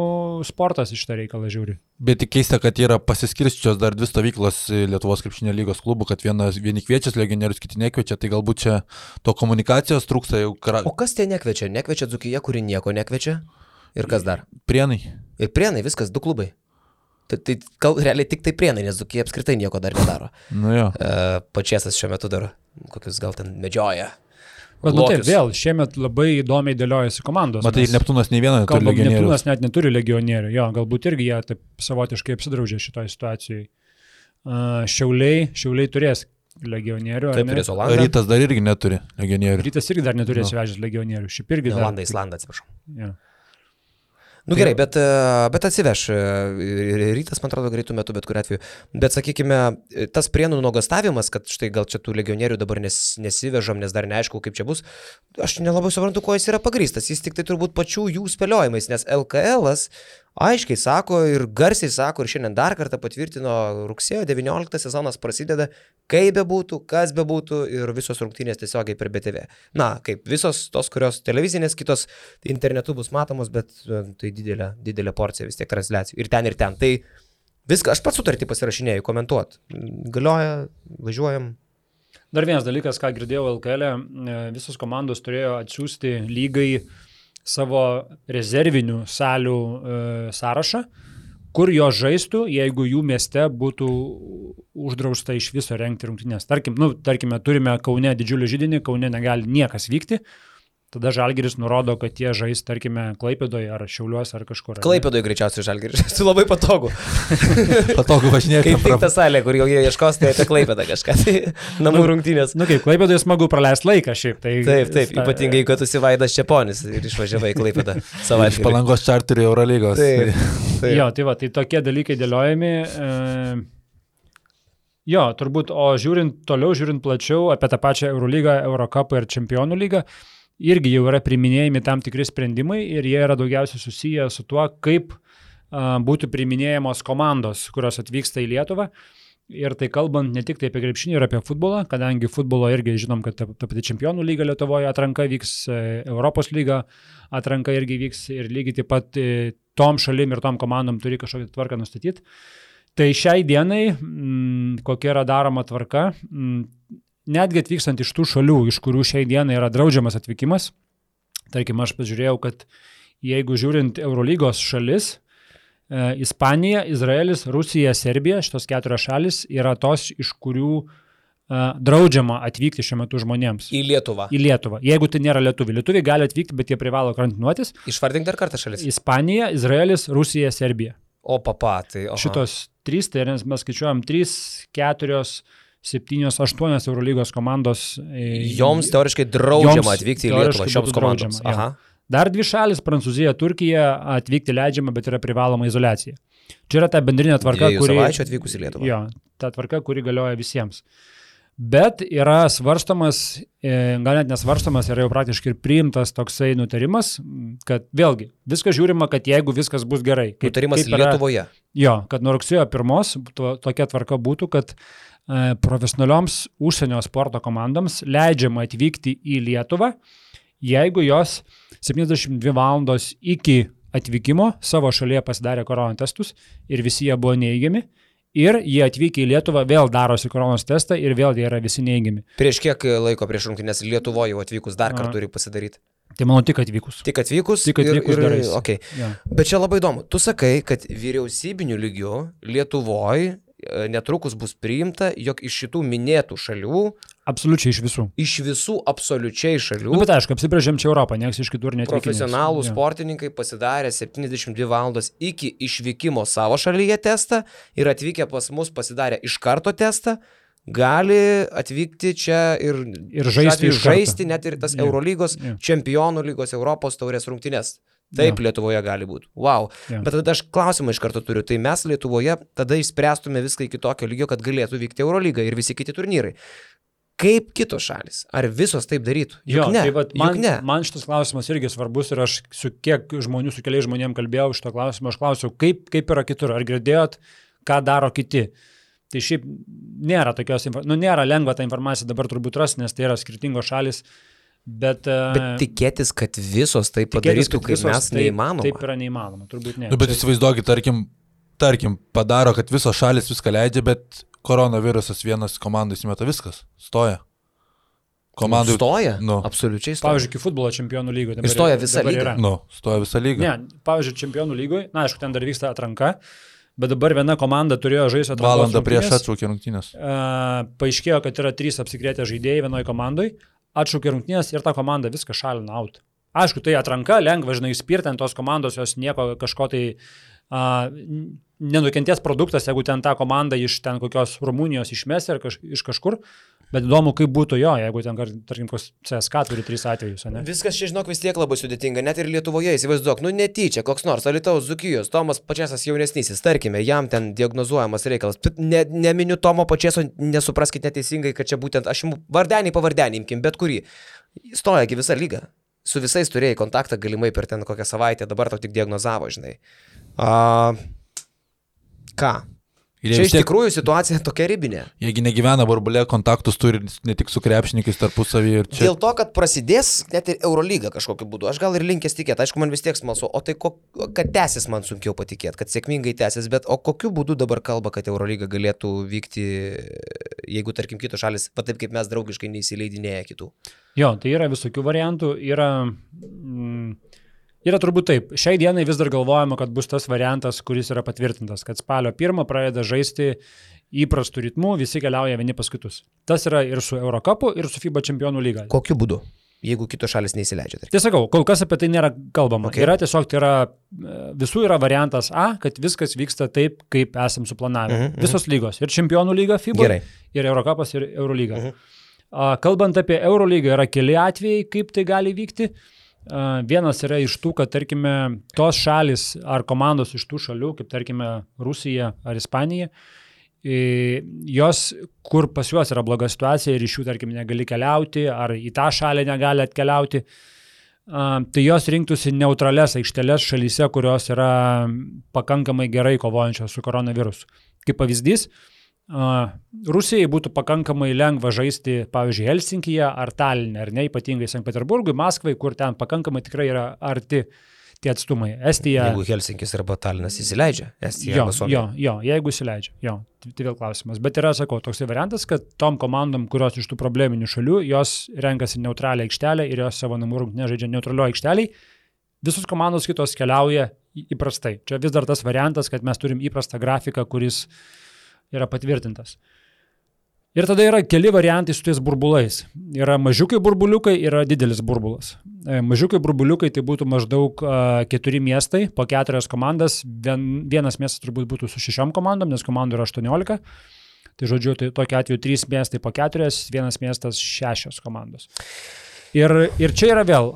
sportas iš tą reikalą žiūri. Bet tik keista, kad yra pasiskirščios dar 2 stovyklos Lietuvos krepšinio lygos klubų, kad vieni kviečia legionierius, kiti nekviečia, tai galbūt čia to komunikacijos trūksta jau. O kas tie nekviečia? Nekviečia Dzūkija, kuri nieko nekviečia? Ir kas dar? Prienai. Ir Prienai, viskas, 2 klubai. Tai realiai tik tai Prienai, nes Dzūkija apskritai nieko dar nedaro. Nu jo. Pačiasas šiuo metu dar kokius gal ten medžioja. Bet taip, vėl, šiemet labai įdomiai dėliojasi komandos. Matai, Neptūnas nei vieną neturi legionierių. Neptūnas net neturi legionierių, jo, galbūt irgi jie taip savotiškai apsidraudžia šitoje situacijoje. Šiauliai turės legionierių. Taip, turės Olandą. Rytas dar irgi neturi legionierių. Rytas irgi dar neturi atsivežęs legionierių. Šiaip irgi dar. Islandą, atsiprašau. Ja. Gerai, bet atsiveš. Rytas, man atrodo, greitų metų, bet kuriuo atveju. Bet, sakykime, tas Prienų nuogastavimas, kad štai gal čia tų legionierių dabar nesivežam, nes dar neaišku, kaip čia bus, aš nelabai suprantu, kuo jis yra pagrįstas. Jis tik tai turbūt pačių jų spėliojimais, nes LKL'as aiškiai sako ir garsiai sako ir šiandien dar kartą patvirtino, rugsėjo 19 sezonas prasideda, kaip bebūtų, kas bebūtų ir visos rungtynės tiesiogiai per BTV. Na, kaip visos tos, kurios televizinės, kitos internetu bus matomos, bet tai didelė porcija vis tiek transliacijų. Ir ten. Tai viską, aš pats sutartį pasirašinėjau, komentuot. Galioja, važiuojam. Dar vienas dalykas, ką girdėjau LKL, visos komandos turėjo atsiųsti lygai savo rezervinių salių sąrašą, kur jo žaistų, jeigu jų mieste būtų uždrausta iš viso rengti rungtynes. Tarkime, turime Kaune didžiulį židinį, Kaune negali niekas vykti, tada Žalgiris nurodo, kad jie žais, tarkime, Klaipėdoje ar Šiauliuose ar kažkur. Klaipėdoje greičiausiai Žalgiris, tai labai patogu. Patogu važinėti. Kaip tik ta salė, kur jau jie ieškos, tai apie Klaipėdą kažką, tai namų rungtynės. Kaip Klaipėdoje smagu praleisti laiką šiaip. Tai taip, ypatingai, kad tu Vaidas Čeponis ir išvažiavai Klaipėdą savaitgalį. Iš Palangos čarterių Eurolygos. Taip. Jo, tai tokie dalykai dėliojami. Jo, turbūt, o žiūrint plačiau apie tą pačią Eurolygą, Eurocupą ir Čempionų lygą, irgi jau yra priiminėjami tam tikri sprendimai ir jie yra daugiausiai susiję su tuo, kaip būtų priiminėjamos komandos, kurios atvyksta į Lietuvą. Ir tai kalbant ne tik tai apie krepšinį ir apie futbolą, kadangi futbolo irgi žinom, kad ta pati Čempionų lyga Lietuvoje atranka vyks, Europos lyga atranka irgi vyks ir lygiai taip pat tom šalim ir tom komandom turi kažkokią tvarką nustatyti. Tai šiai dienai, kokia yra daroma tvarka, netgi atvykstant iš tų šalių, iš kurių šiai dienai yra draudžiamas atvykimas, tarkim, aš pažiūrėjau, kad jeigu žiūrint Eurolygos šalis, Ispanija, Izraelis, Rusija, Serbija, šitos 4 šalis yra tos, iš kurių draudžiama atvykti šiuo metu žmonėms. Į Lietuvą. Į Lietuvą. Jeigu tai nėra lietuviai. Lietuviai gali atvykti, bet jie privalo karantinuotis. Išvardink dar kartą šalis. Ispanija, Izraelis, Rusija, Serbija. O papa, tai... Šitos 3, tai mes skaičiuojam 3, 4, 7-8 Eurolygos komandos. Joms teoriškai draudžiama atvykti į Lietuvą šioms komandoms. Aha. Dar 2 šalis, Prancūzija, Turkija, atvykti leidžiama, bet yra privaloma izoliacija. Čia yra ta bendrinė tvarka, kuri... savaičių atvykus į Lietuvą. Jo, ta tvarka, kuri galioja visiems. Bet yra svarstomas, gal net nesvarstomas, yra jau praktiškai ir priimtas toksai nutarimas, kad vėlgi, viskas žiūrima, kad jeigu viskas bus gerai. Nutarimas Lietuvoje. Jo, kad nuo rugsėjo 1 tokia tvarka būtų, kad profesionalioms užsienio sporto komandoms leidžiama atvykti į Lietuvą, jeigu jos 72 valandos iki atvykimo savo šalyje pasidarė koronos testus ir visi jie buvo neigiami ir jie atvykę į Lietuvą vėl darosi koronos testą ir vėl jie yra visi neigiami. Prieš kiek laiko prieš rungtynes Lietuvoje jau atvykus dar kartą turi pasidaryti? Tai manau tik atvykus. Tik atvykus darais. Okay. Ja. Bet čia labai įdomu. Tu sakai, kad vyriausybiniu lygiu Lietuvoje netrukus bus priimta, jog iš šitų minėtų šalių... Absoliučiai iš visų. Iš visų absoliučiai šalių. Bet aišku, apsibrėžėm čia Europą, nieks iš kitur netvykinės. Profesionalų sportininkai pasidarė 72 valandos iki išvykimo savo šalyje testą ir atvykę pas mus pasidarė iš karto testą, gali atvykti čia ir žaisti net ir tas Eurolygos, Čempionų lygos, Europos taurės rungtynes. Taip, Lietuvoje gali būti. Wow. Bet tada aš klausimą iš karto turiu. Tai mes Lietuvoje tada išspręstume viską iki tokio lygio, kad galėtų vykti Eurolyga ir visi kiti turnyrai. Kaip kitos šalis? Ar visos taip darytų? Juk ne. Tai man šitas klausimas irgi svarbus ir aš su keliais žmonėm kalbėjau šito klausimo, aš klausiau, kaip yra kitur, ar girdėjot, ką daro kiti. Tai šiaip nėra nėra lengva tą informaciją dabar turbūt rasti, nes tai yra skirtingos šalis. Bet tikėtis, kad visos tai padarytų, kaip mes, neįmanoma. Taip yra neįmanoma, turbūt ne. Bet įsivaizduokit, tarkim, padaro, kad visos šalis viską leidžia, bet koronavirusas vienas komandai įsimeta viskas, stoja. Komandai stoja? Absoliučiai stoja. Pavyzdžiui, iki futbolo čempionų lygoje. Ir stoja visa lyga. Stoja visa lyga. Ne, pavyzdžiui, čempionų lygoje, aišku, ten dar vyksta atranka, bet dabar viena komanda turėjo žaisti atrankos valandą prieš atšaukė rungtynės. Paaiškėjo, kad yra 3 apsikrėtę žaidėjai vienoje komandoje. Atšaukė rungtynės ir ta komanda viską šalina out. Aišku, tai atranka, lengva, žinai, spirti ant tos komandos, jos nieko kažko tai nenukentės produktas, jeigu ten tą komandą iš ten kokios Rumunijos išmės ir iš kažkur, bet įdomu, kaip būtų jeigu ten, tarkim, CSK turi 3 atvejus, ne? Viskas čia, žinok, vis tiek labai sudėtinga, net ir Lietuvoje, įsivaizduok, netyčia, koks nors Alytaus Dzūkijos, Tomas Pačėsas jaunesnysis, tarkime, jam ten diagnozuojamas reikalas, neminiu Tomo Pačėso, nesupraskite neteisingai, kad čia būtent, aš vardenį pavardenį imkim, bet kurį, stojagi visą lygą, su visais turėjai kontaktą galimai per ten kokią savaitę, dabar tau tik diagnozavo, žinai. Ką? Čia iš tikrųjų situacija tokia ribinė. Jeigu negyvena burbulė, kontaktus turi ne tik su krepšininkais tarpusavyje ir čia. Dėl to, kad prasidės net ir Eurolyga kažkokiu būdu. Aš gal ir linkęs tikėti, aišku, man vis tiek smalsu, o tai kad tęsis man sunkiau patikėti, kad sėkmingai tęsis, bet o kokiu būdu dabar kalba, kad Eurolyga galėtų vykti, jeigu, tarkim, kitos šalis, taip kaip mes draugiškai neįsileidinėja kitų? Jo, tai yra visokių variantų, Yra turbūt taip. Šiai dienai vis dar galvojama, kad bus tas variantas, kuris yra patvirtintas, kad spalio 1 pradeda žaisti įprastų ritmų, visi keliauja vieni pas kitus. Tas yra ir su Eurocupu, ir su FIBA čempionų lyga. Kokiu būdu, jeigu kitos šalis neįsileidžia? Tai sakau, kol kas apie tai nėra kalbama. Okay. Yra tiesiog, visų yra variantas A, kad viskas vyksta taip, kaip esam suplanavę. Visos lygos. Ir čempionų lyga FIBA, ir Eurocupas, ir Eurolyga. Kalbant apie Eurolygą, yra keli atvejai, kaip tai gali vykti. Vienas yra iš tų, kad, tarkime, tos šalis ar komandos iš tų šalių, kaip, tarkime, Rusija ar Ispanija, jos, kur pas juos yra bloga situacija ir iš jų, tarkime, negali keliauti, ar į tą šalį negali atkeliauti, tai jos rinktųsi neutrales aikšteles šalyse, kurios yra pakankamai gerai kovojančios su koronavirusu. Kaip pavyzdys, Rusijai būtų pakankamai lengva žaisti, pavyzdžiui, Helsinkyje ar Taline, ar ne, ypatingai Sankt Peterburgui, Maskvai, kur ten pakankamai tikrai yra arti tie atstumai. Estija... Jeigu Helsinkis arba Talinas įsileidžia, Estija arba Suomija. Jo, jeigu įsileidžia, tai vėl klausimas. Bet yra, sakau, toksai variantas, kad tom komandom, kurios iš tų probleminių šalių, jos renkasi neutralią aikštelę ir jos savo namų rungtynes žaidžia neutralioje aikšteliai, visos komandos kitos keliauja įprastai. Čia vis dar tas variantas, kad mes turim įprastą grafiką, kuris yra patvirtintas. Ir tada yra keli variantai su tais burbulais. Yra mažiukai burbuliukai, yra didelis burbulas. Mažiukai burbuliukai tai būtų maždaug 4 miestai, po 4 komandas. Vienas miestas turbūt būtų su 6 komandom, nes komandų yra 18. Tai žodžiu, tai tokiu atveju 3 miestai po 4, vienas miestas 6 komandos. Ir čia yra vėl,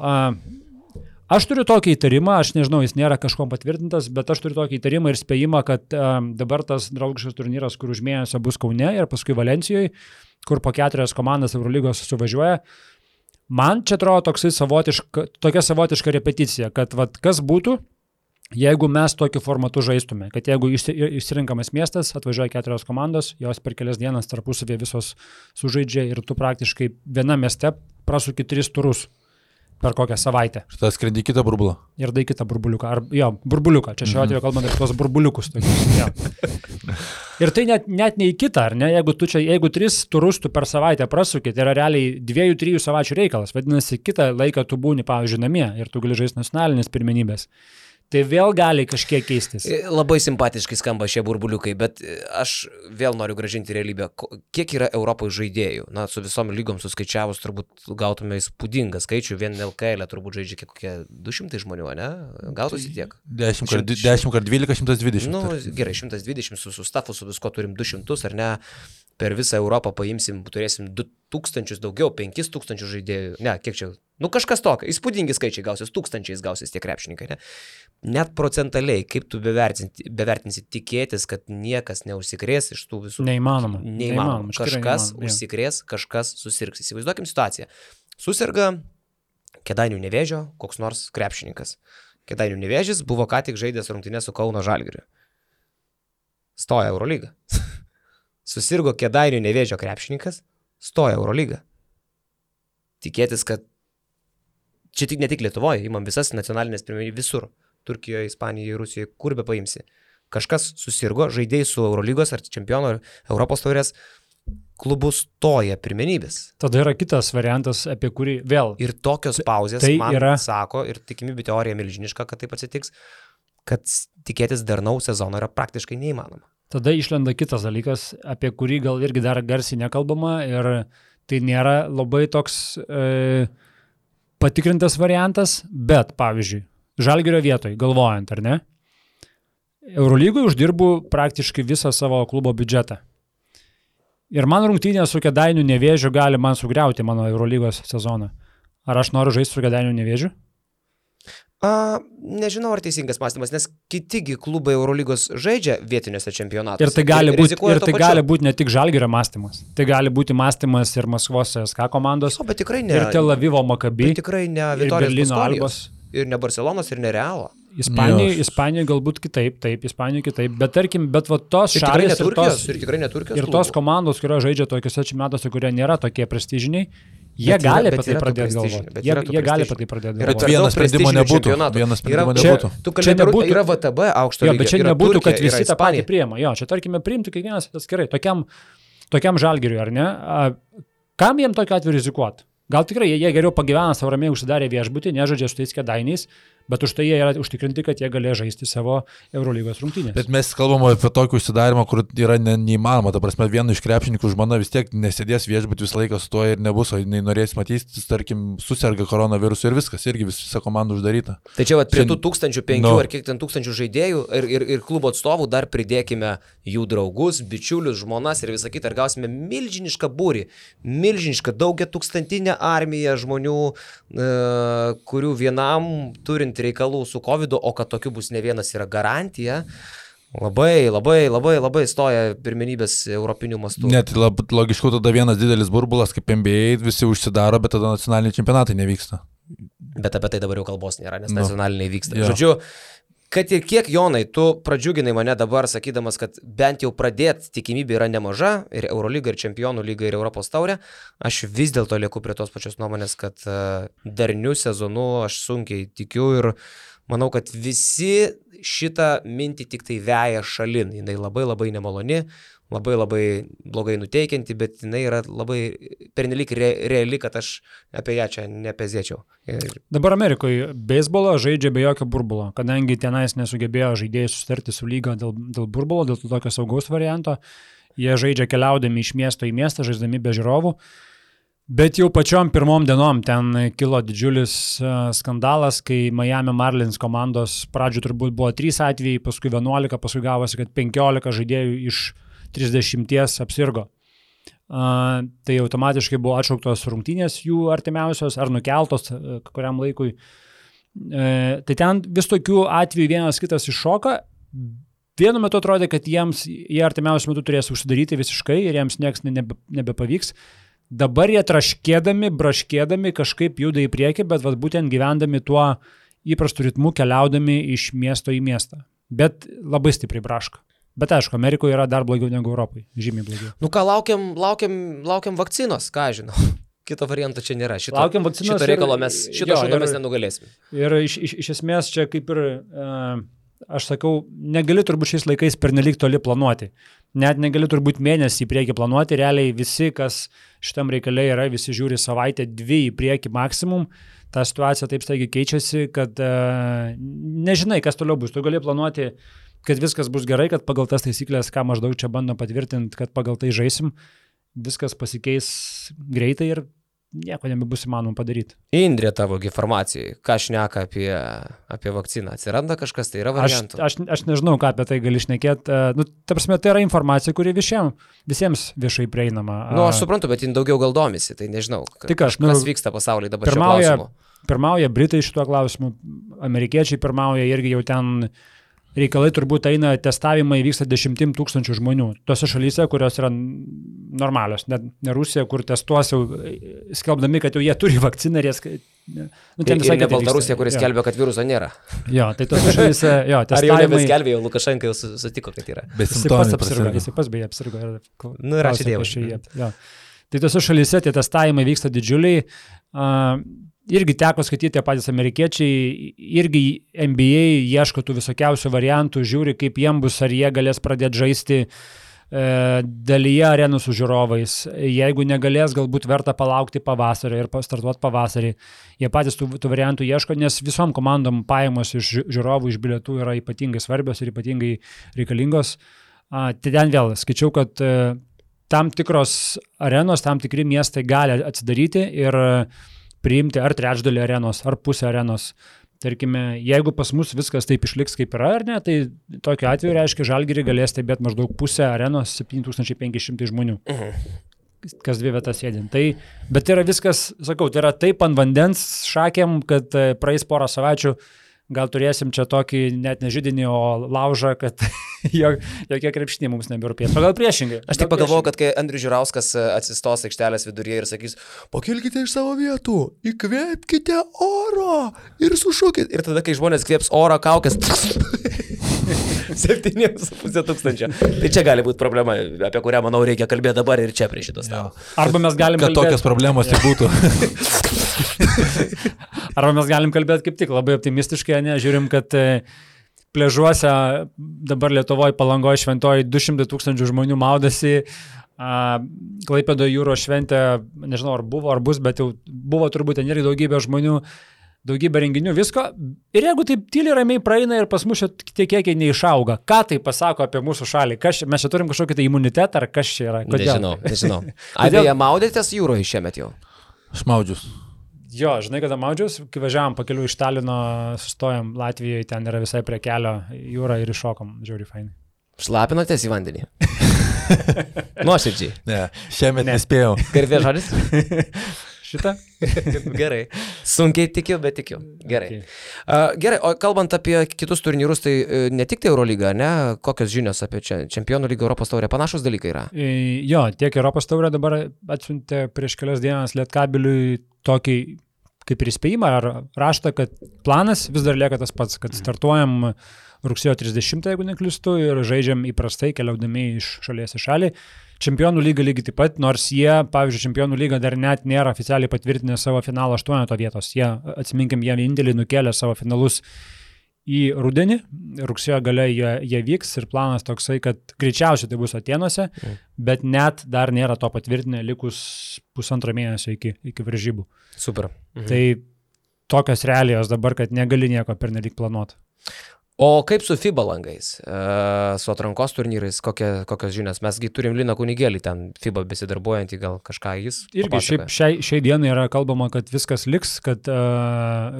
aš turiu tokį įtarimą, aš nežinau, jis nėra kažkom patvirtintas, bet aš turiu tokį įtarimą ir spėjimą, kad dabar tas draugiškas turnyras, kur už mėnesio bus Kaune ir paskui Valensijoj, kur po 4 komandas Eurolygos suvažiuoja, man čia atrodo tokia savotiška repeticija, kad vat, kas būtų, jeigu mes tokiu formatu žaistume, kad jeigu išsirinkamas miestas, atvažiuoja 4 komandos, jos per kelias dienas tarpusavėje visos sužaidžia ir tu praktiškai viena mieste prasuki 3 turus per kokią savaitę. Ir tada skrendi kitą burbulą. Ir dai kitą burbuliuką. Burbuliuką. Čia šiuo atveju kalbant apie tos burbuliukus. Ir tai net ne į kitą, ar ne? Jeigu 3 turus tu per savaitę prasuki, tai yra realiai 2-3 savaičių reikalas. Vadinasi, kitą laiką tu būni, pavyzdžiui, namie ir tu gali žaisti nacionalinės pirmenybės. Tai vėl gali kažkiek keistis. Labai simpatiškai skamba šie burbuliukai, bet aš vėl noriu grąžinti realybę. Kiek yra Europoje žaidėjų? Na, su visom lygom suskaičiavus turbūt gautume įspūdingą skaičių. Vien LKL turbūt žaidžia kokie 200 žmonių, ne? Gautųsi tiek. 10 kart 12, 120. Nu, gerai, 120 su stafu, su visko turim 200, ar ne? Per visą Europą turėsim 2000 daugiau, 5000 žaidėjų. Ne, kiek čia? Nu, kažkas tokio. Įspūdingi skaičiai gausis, 1000 gausis tie krepšininkai, ne? Net procentaliai, kaip tu bevertinsi tikėtis, kad niekas neužsikrės iš tų visų. Neįmanoma. Kažkas užsikrės, kažkas susirgs. Įsivaizduokim situaciją. Susirga Kėdainių Nevėžio koks nors krepšininkas. Kėdainių Nevėžis buvo ką tik žaidęs rungtynes su Kauno Žalgiriu. Stoja Eurolygą. Susirgo Kėdainių Nevėžio krepšininkas, stoja Eurolygą. Tikėtis, kad čia ne tik Lietuvoje, imam visas nacionalinės pirmenybės visur. Turkijoje, Ispanijoje, Rusijoje, kur be paimsi. Kažkas susirgo, žaidėjai su Eurolygos ar čempionų ar Europos taurės klubų stoja pirmenybės. Tada yra kitas variantas, apie kurį vėl. Ir tokios pauzės tai man sako, ir tikimybė teorija milžiniška, kad taip atsitiks, kad tikėtis darnaus sezono yra praktiškai neįmanoma. Tada išlenda kitas dalykas, apie kurį gal irgi dar garsiai nekalbama ir tai nėra labai toks patikrintas variantas, bet pavyzdžiui, Žalgirio vietoj, galvojant, ar ne, Eurolygoje uždirbu praktiškai visą savo klubo biudžetą. Ir man rungtynė su Kėdainių Nevėžiu gali man sugriauti mano Eurolygos sezoną. Ar aš noriu žaisti su Kėdainių Nevėžiu? Nežinau, ar teisingas mąstymas, nes kitigi klubai Eurolygos žaidžia vietiniuose čempionatuose. Ir tai gali būti ne tik Žalgirio mąstymas. Tai gali būti mąstymas ir Maskvos SK komandos. Jo, bet tikrai ne. Ir Tel Avivo Maccabi. Bet tikrai ne Vitorijos Paskolijos. Ir ne Barcelonos, ir ne Realo. Ispanijoje galbūt kitaip, Ispanijoje kitaip, bet tarkim, va tos šalys ir tos komandos, kurios žaidžia tokiuose čempionatuose, kurie nėra tokie prestižiniai, jie gali apie tai pradėti galvoti. Jie gali apie tai pradėti galvoti. Vienas sprendimo nebūtų. Čia nebūtų. Yra VTB aukšto lygio. Bet čia nebūtų, kad visi tą patį priima. Jo, čia tarkime priimtų kiekvienas atskirai. Tokiam Žalgiriui, ar ne? Kam jiem tokiu atveju rizikuoti? Gal tikrai jie geriau pagyvena savo ramiai užsidarė viešbutį, nežaidžia su tais Kėdainiais, bet už tai jie yra užtikrinti, kad jie galės žaisti savo Eurolygos rungtynės. Bet mes kalbame apie tokį užsidarimą, kur yra neįmanoma. Ta prasme, vienu iš krepšininkų žmona vis tiek nesėdės viešbutį visą laiką su tuo ir nebus, o jinai norės matyti, tarkim, suserga koronavirusu ir viskas, irgi visa komanda uždaryta. Tai čia prie tų 1500 ar kiek ten tūkstančių žaidėjų ir klubo atstovų dar pridėkime jų draugus, bičiulius, žmonas ir visą kitą ir gausime milžinišką būrį, milžinišką daugiatūkstantinę armiją žmonių, kurių vienam turint reikalų su COVID, o kad tokių bus ne vienas yra garantija, labai stoja pirmenybės europinių mastų. Net logiškiau tada vienas didelis burbulas, kaip NBA, visi užsidaro, bet tada nacionaliniai čempionatai nevyksta. Bet apie tai dabar jau kalbos nėra, nes nacionaliniai vyksta. Ja. Žodžiu, kad ir kiek, Jonai, tu pradžiuginai mane dabar sakydamas, kad bent jau pradėti tikimybė yra nemaža, ir Eurolyga, ir Čempionų lyga, ir Europos taurė, aš vis dėlto lieku prie tos pačios nuomonės, kad darniu sezonu aš sunkiai tikiu ir manau, kad visi šitą mintį tik tai veja šalin. Jinai labai nemaloni, labai blogai nuteikianti, bet jinai yra labai pernelyg reali, kad aš apie ją čia nepezėčiau. Dabar Amerikoje beisbolą žaidžia be jokio burbulo, kadangi tenais nesugebėjo žaidėjai susitarti su lyga dėl burbulo, dėl tokio saugaus varianto. Jie žaidžia keliaudami iš miesto į miestą, žaisdami be žiūrovų. Bet jau pačiom pirmom dienom ten kilo didžiulis skandalas, kai Miami Marlins komandos pradžių turbūt buvo 3 atvejai, paskui 11, paskui gavosi, kad 15 žaidėjų iš 30 apsirgo. Tai automatiškai buvo atšauktos rungtynės jų artimiausios ar nukeltos kuriam laikui. Tai ten vis tokių atvejų vienas kitas iššoka. Vienu metu atrodė, kad jie artimiausiu metu turės užsidaryti visiškai ir jiems nieks nebepavyks. Dabar jie braškėdami kažkaip juda į priekį, bet būtent gyvendami tuo įprastu ritmu, keliaudami iš miesto į miestą. Bet labai stipriai braška. Bet aišku, Amerikoje yra dar blogiau negu Europai. Žymiai blogiau. Nu ką, laukiam vakcinos, ką žinau. Kito varianto čia nėra. Šito reikalo mes nenugalėsime. Ir iš esmės čia kaip ir, aš sakau, negali turbūt šiais laikais pernelyg toli planuoti. Net negali turbūt mėnesį į priekį planuoti. Realiai visi, kas šitam reikale yra, visi žiūri savaitę, 2 į priekį maksimum. Ta situacija taip staigiai keičiasi, kad nežinai, kas toliau bus. Tu gali planuoti, kad viskas bus gerai, kad pagal tas taisyklės, ką maždaug čia bando patvirtinti, kad pagal tai žaisim, viskas pasikeis greitai ir nieko nebebus įmanoma padaryti. Indrė, tavo informacijai, ką šneka apie vakciną? Atsiranda kažkas, tai yra variantų? Aš nežinau, ką apie tai gali šnekėti. Ta prasme, tai yra informacija, kuri visiems viešai prieinama. Aš suprantu, bet jin daugiau gal domisi, tai nežinau, kas vyksta pasaulyje dabar šiuo klausimu. Pirmauja Britai šituo klausimu, amerikiečiai pirmauja irgi jau ten reikalai turbūt eina, testavimai vyksta 10 000 žmonių. Tose šalyse, kurios yra normalios, ne Rusija, kur testuos jau skelbdami, kad jau jie turi vakciną ir ne Baltarusija, kuris skelbia, kad viruso nėra. Jo, tai tose šalyse, testavimai... Ar jau nebeskelbė, jau Lukašenka jau sutiko, kad yra. Jis pas beje apsirgo. Ir ačiū Dievui. Tai tose šalyse tie testavimai vyksta didžiuliai. Irgi teko skaityti tie patys amerikiečiai, irgi NBA ieško tų visokiausių variantų, žiūri, kaip jiem bus, ar jie galės pradėti žaisti dalyje arenų su žiūrovais. Jeigu negalės, galbūt verta palaukti pavasario ir startuoti pavasarį. Jie patys tų variantų ieško, nes visom komandom pajamos iš žiūrovų, iš bilietų yra ypatingai svarbios ir ypatingai reikalingos. Tai ten vėl skaičiau, kad tam tikros arenos, tam tikri miestai gali atsidaryti ir priimti ar trečdalį arenos, ar pusę arenos. Tarkime, jeigu pas mus viskas taip išliks kaip yra, ar ne, tai tokiu atveju reiškia, Žalgirį galės stebėti maždaug pusę arenos 7500 žmonių. Kas 2 vietas sėdint. Bet tai yra viskas, sakau, tai yra taip ant vandens šakėm, kad praeis porą savaičių, gal turėsim čia tokį net ne židinį, o laužą, kad jokie krepšiniai mums nebirūpės. O gal priešingai. Aš tik pagalvojau, kad kai Andrius Žiurauskas atsistos aikštelės viduryje ir sakys, pakilkite iš savo vietų, įkvėpkite oro ir sušūkit. Ir tada, kai žmonės kvėps oro kaukės, 7,5 Tai čia gali būti problema, apie kurią, manau, reikia kalbėti dabar ir čia prie šitos stalo. Arba mes galim kalbėti... Kad tokios problemos tai būtų. Arba mes galim kalbėti kaip tik labai optimistiškai, ne? Žiūrim, kad pležuose dabar Lietuvoje, Palangoje, Šventoje 200 000 žmonių maudasi. Klaipėdoje jūros šventė, nežinau ar buvo, ar bus, bet jau buvo turbūt ten irgi daugybė žmonių. Daugybė renginių, visko. Ir jeigu taip tyliai ramiai praeina ir pas mus tie kiekiai neišauga, ką tai pasako apie mūsų šalį? Mes čia turim kažkokį tai imunitetą, ar kas čia yra? Kodėl? Nežinau. Beje, maudėtės jūroje šiemet jau? Aš maudžius. Jo, žinai, kada maudžius, kai važiavam pakeliu iš Talino, sustojom Latvijoje, ten yra visai prie kelio jūra ir iššokom. Žiauriai fainai. Šlapinotės į vandenį? Nuoširdžiai. Ne, šiemet nespėjau. Garbės žodis? Šitą? Gerai. Sunkiai tikiu, bet tikiu. Gerai. Okay. Gerai, o kalbant apie kitus turnyrus, tai ne tik tai Eurolyga, ne? Kokios žinios apie Čempionų lygą, Europos taurę? Panašus dalykai yra? Jo, tiek Europos taurę dabar atsiuntė prieš kelias dienas Lietkabiliui tokį kaip ir įspėjimą ar raštą, kad planas vis dar lieka tas pats, kad startuojam rugsėjo 30, jeigu neklystu, ir žaidžiam įprastai, keliaudami iš šalies į šalį. Čempionų lyga lygiai taip pat, nors jie, pavyzdžiui, Čempionų lyga dar net nėra oficialiai patvirtinę savo finalo 8 vietos. Jie, atsiminkim, jie vienintelį nukėlė savo finalus į rudenį, rugsėjo gale jie vyks ir planas toksai, kad greičiausiai tai bus Atėnuose, bet net dar nėra to patvirtinę likus 1,5 mėnesio iki varžybų. Super. Tai tokios realijos dabar, kad negali nieko pernelyg planuoti. O kaip su FIBA langais, su atrankos turnyrais, kokios žinios? Mesgi turim Liną Kunigėlį ten FIBA besidarbuojantį, gal kažką jis papasaka? Irgi šiai dienai yra kalbama, kad viskas liks, kad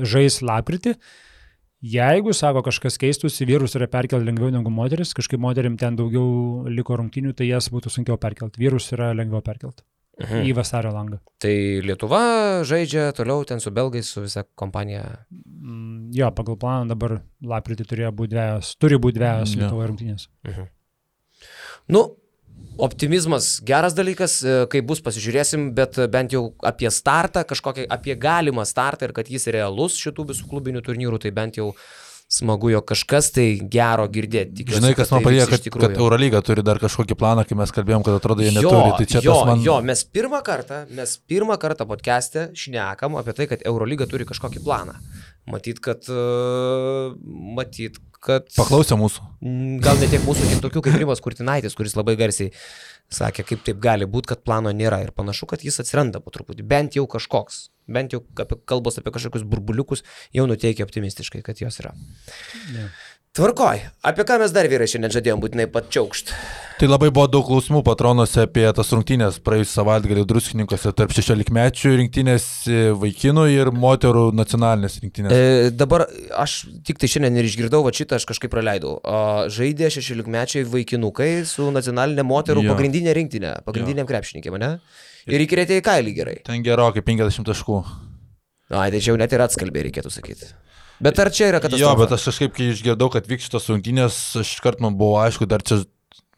žais lapkritį Jeigu, sako, kažkas keistųsi, vyrus yra perkelti lengviau negu moteris, kažkaip moterim ten daugiau liko rungtynių, tai jas būtų sunkiau perkelti. Vyrus yra lengviau perkelti į vasario langą. Tai Lietuva žaidžia toliau ten su belgais, su visa kompanija. Jo, pagal planą dabar lapkritį turi būti dvejos Lietuvoje rungtynės. Nu, optimizmas geras dalykas, kai bus pasižiūrėsim, bet bent jau apie startą, kažkokį apie galimą startą ir kad jis realus šitų visų klubinių turnyrų, tai bent jau smagu, jo kažkas tai gero girdėti. Tikiuosi, žinai, kas man padėjo, kad Eurolyga turi dar kažkokį planą, kai mes kalbėjom, kad atrodo jie neturi. Tai čia mes pirmą kartą podcast'e šnekam apie tai, kad Eurolyga turi kažkokį planą. Matyt, kad paklausė mūsų. Gal ne tiek mūsų, tiek tokių kaip Rimas Kurtinaitis, kuris labai garsiai sakė, kaip taip gali būti, kad plano nėra. Ir panašu, kad jis atsiranda po truputį. Bent jau kažkoks. Bent jau kalbos apie kažkokius burbuliukus jau nuteikia optimistiškai, kad jos yra. Yeah. Tvarkoj. Apie ką mes dar vyrai šiandien žadėjom būtinai patčiaukšt? Tai labai buvo daug klausimų patronuose apie tas rungtynės praėjusį savaitgalį Druskininkuose tarp 16-mečių rinktinės vaikinų ir moterų nacionalinės rinktinės. Dabar aš tik tai šiandien ir išgirdau, va šitą aš kažkaip praleidau. Žaidė 16-mečiai vaikinukai su nacionalinė moterų pagrindinė rinktinė, pagrindiniam krepšininkėm, ne? Ir įkrėtė į kailį gerai. Ten gerokai 50 taškų. Tai čia jau net ir atskalbė, reikėtų sakyti. Bet ar čia yra katastrofa? Jo, bet aš kažkaip, kai išgirdau, kad vyks šitos rungtynės, aš iškart man buvo aišku, dar čia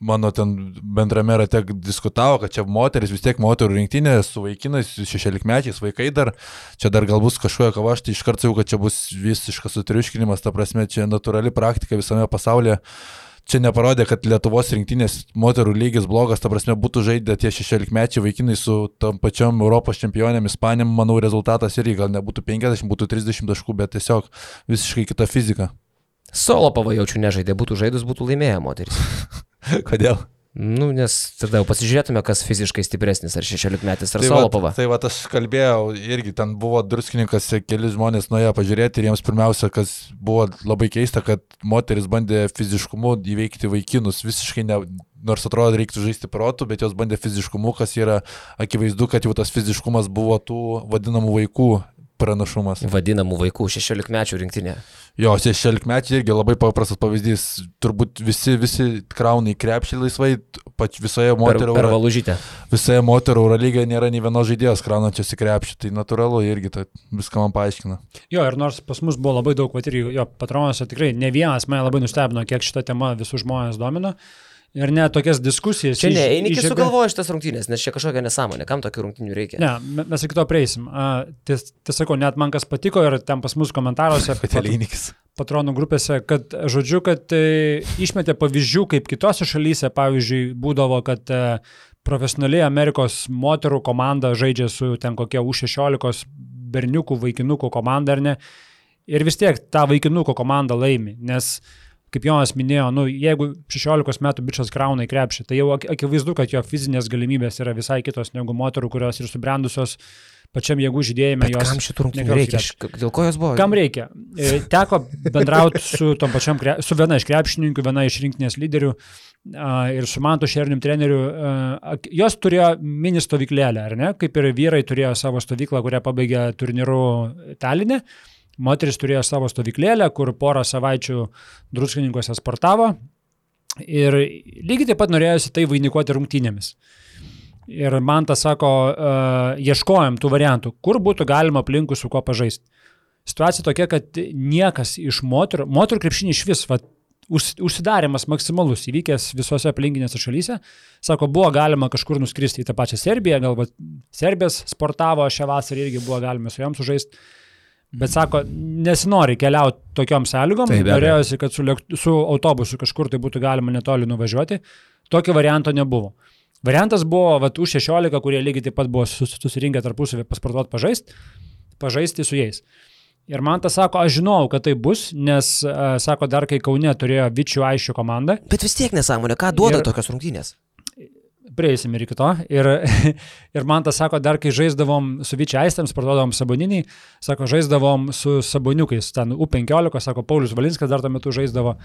mano ten bendrame rate diskutavo, kad čia moteris, vis tiek moterų rinktinė su vaikinais, 16-mečiais vaikai dar, čia dar gal bus kažkokia kava, aš tai iškart sakiau, kad čia bus visiškas sutriuškinimas, ta prasme, čia natūrali praktika visame pasaulyje. Čia neparodė, kad Lietuvos rinktinės moterų lygis blogas, ta prasme būtų žaidę tie 16-mečiai vaikinai su tam pačiom Europos čempionėm, Ispanėm, manau rezultatas irgi gal nebūtų 50, būtų 30 taškų, bet tiesiog visiškai kita fizika. Solopava jaučiu nežaidė, būtų žaidus, būtų laimėję moteris. Kodėl? Nu, nes tada jau pasižiūrėtume, kas fiziškai stipresnis, ar 16-metis, ar Solopava. Tai va, aš kalbėjau, irgi ten buvo Druskininkas, keli žmonės nuėjo pažiūrėti ir jiems pirmiausia, kas buvo labai keista, kad moteris bandė fiziškumu įveikti vaikinus, visiškai ne, nors atrodo reiktų žaisti protų, bet jos bandė fiziškumu, kas yra akivaizdu, kad jau tas fiziškumas buvo tų vadinamų vaikų pranašumas. Vadinamų vaikų, 16-mečių rinktinė. Jo, 16-mečiai irgi labai paprastas pavyzdys. Turbūt visi krauna į krepšį laisvai, visoje moterų per valužytę. Visoje moterų Eurolygoje nėra nei vienos žaidėjos kraunančios į krepšį, tai natūralu irgi tai viską man paaiškina. Jo, ir nors pas mus buvo labai daug, ir jo patronuose tikrai ne vienas mane labai nustebino, kiek šitą temą visus žmonės domino. Ir ne tokias diskusijas. Čia ne, Einikis sugalvojo šitas rungtynės, nes čia kažkokia nesąmonė, kam tokių rungtynių reikia? Ne, mes iki to prieisim. Tiesako, net man kas patiko ir ten pas mus komentaruose, patronų grupėse, kad žodžiu, kad išmetė pavyzdžių, kaip kitose šalyse, pavyzdžiui, būdavo, kad profesionaliai Amerikos moterų komanda žaidžia su ten kokie U16 berniukų, vaikinukų komanda, ar ne? Ir vis tiek ta vaikinukų komanda laimi, nes kaip Jonas minėjo, jeigu 16 metų bičas krauna į krepšį, tai jau akivaizdu, kad jo fizinės galimybės yra visai kitos negu moterų, kurios ir subrendusios pačiam jėgų žydėjime. Bet kam šitų rungtynių reikia? Dėl ko jos buvo? Kam reikia? Teko bendrauti su viena iš krepšininkų, viena iš rinktinės lyderių ir su Mantu Šernium treneriu. Jos turėjo mini stovyklėlę, ar ne? Kaip ir vyrai turėjo savo stovyklą, kurią pabaigė turnyru Taline. Moteris turėjo savo stovyklėlę, kur porą savaičių Druskininkuose sportavo ir lygiai taip pat norėjosi tai vainikuoti rungtynėmis. Ir man tas sako, ieškojom tų variantų, kur būtų galima aplinkui su kuo pažaisti. Situacija tokia, kad niekas iš moterų krepšinį iš vis, užsidarimas maksimalus įvykęs visose aplinkinėse šalyse, sako, buvo galima kažkur nuskristi į tą pačią Serbiją, galbūt Serbijas sportavo šią vasarą irgi buvo galima su jom sužaisti. Bet sako, nesinori keliauti tokiom sąlygom, norėjosi, kad su autobusu kažkur tai būtų galima netoli nuvažiuoti. Tokio varianto nebuvo. Variantas buvo U16, kurie lygiai taip pat buvo susirinkę tarpusavį pasportuoti pažaisti su jais. Ir man tas sako, aš žinau, kad tai bus, nes, sako, dar kai Kaune turėjo Vičių Aiščių komandą. Bet vis tiek nesąmonė, ką duoda tokios rungtynės? Prieisim ir iki to. Ir man tas sako, dar kai žaisdavom su Vičia Aistėm, sportuodavom Saboninį, sako, žaisdavom su Saboniukais, ten U15, sako, Paulius Valinskas dar tuo metu žaisdavo.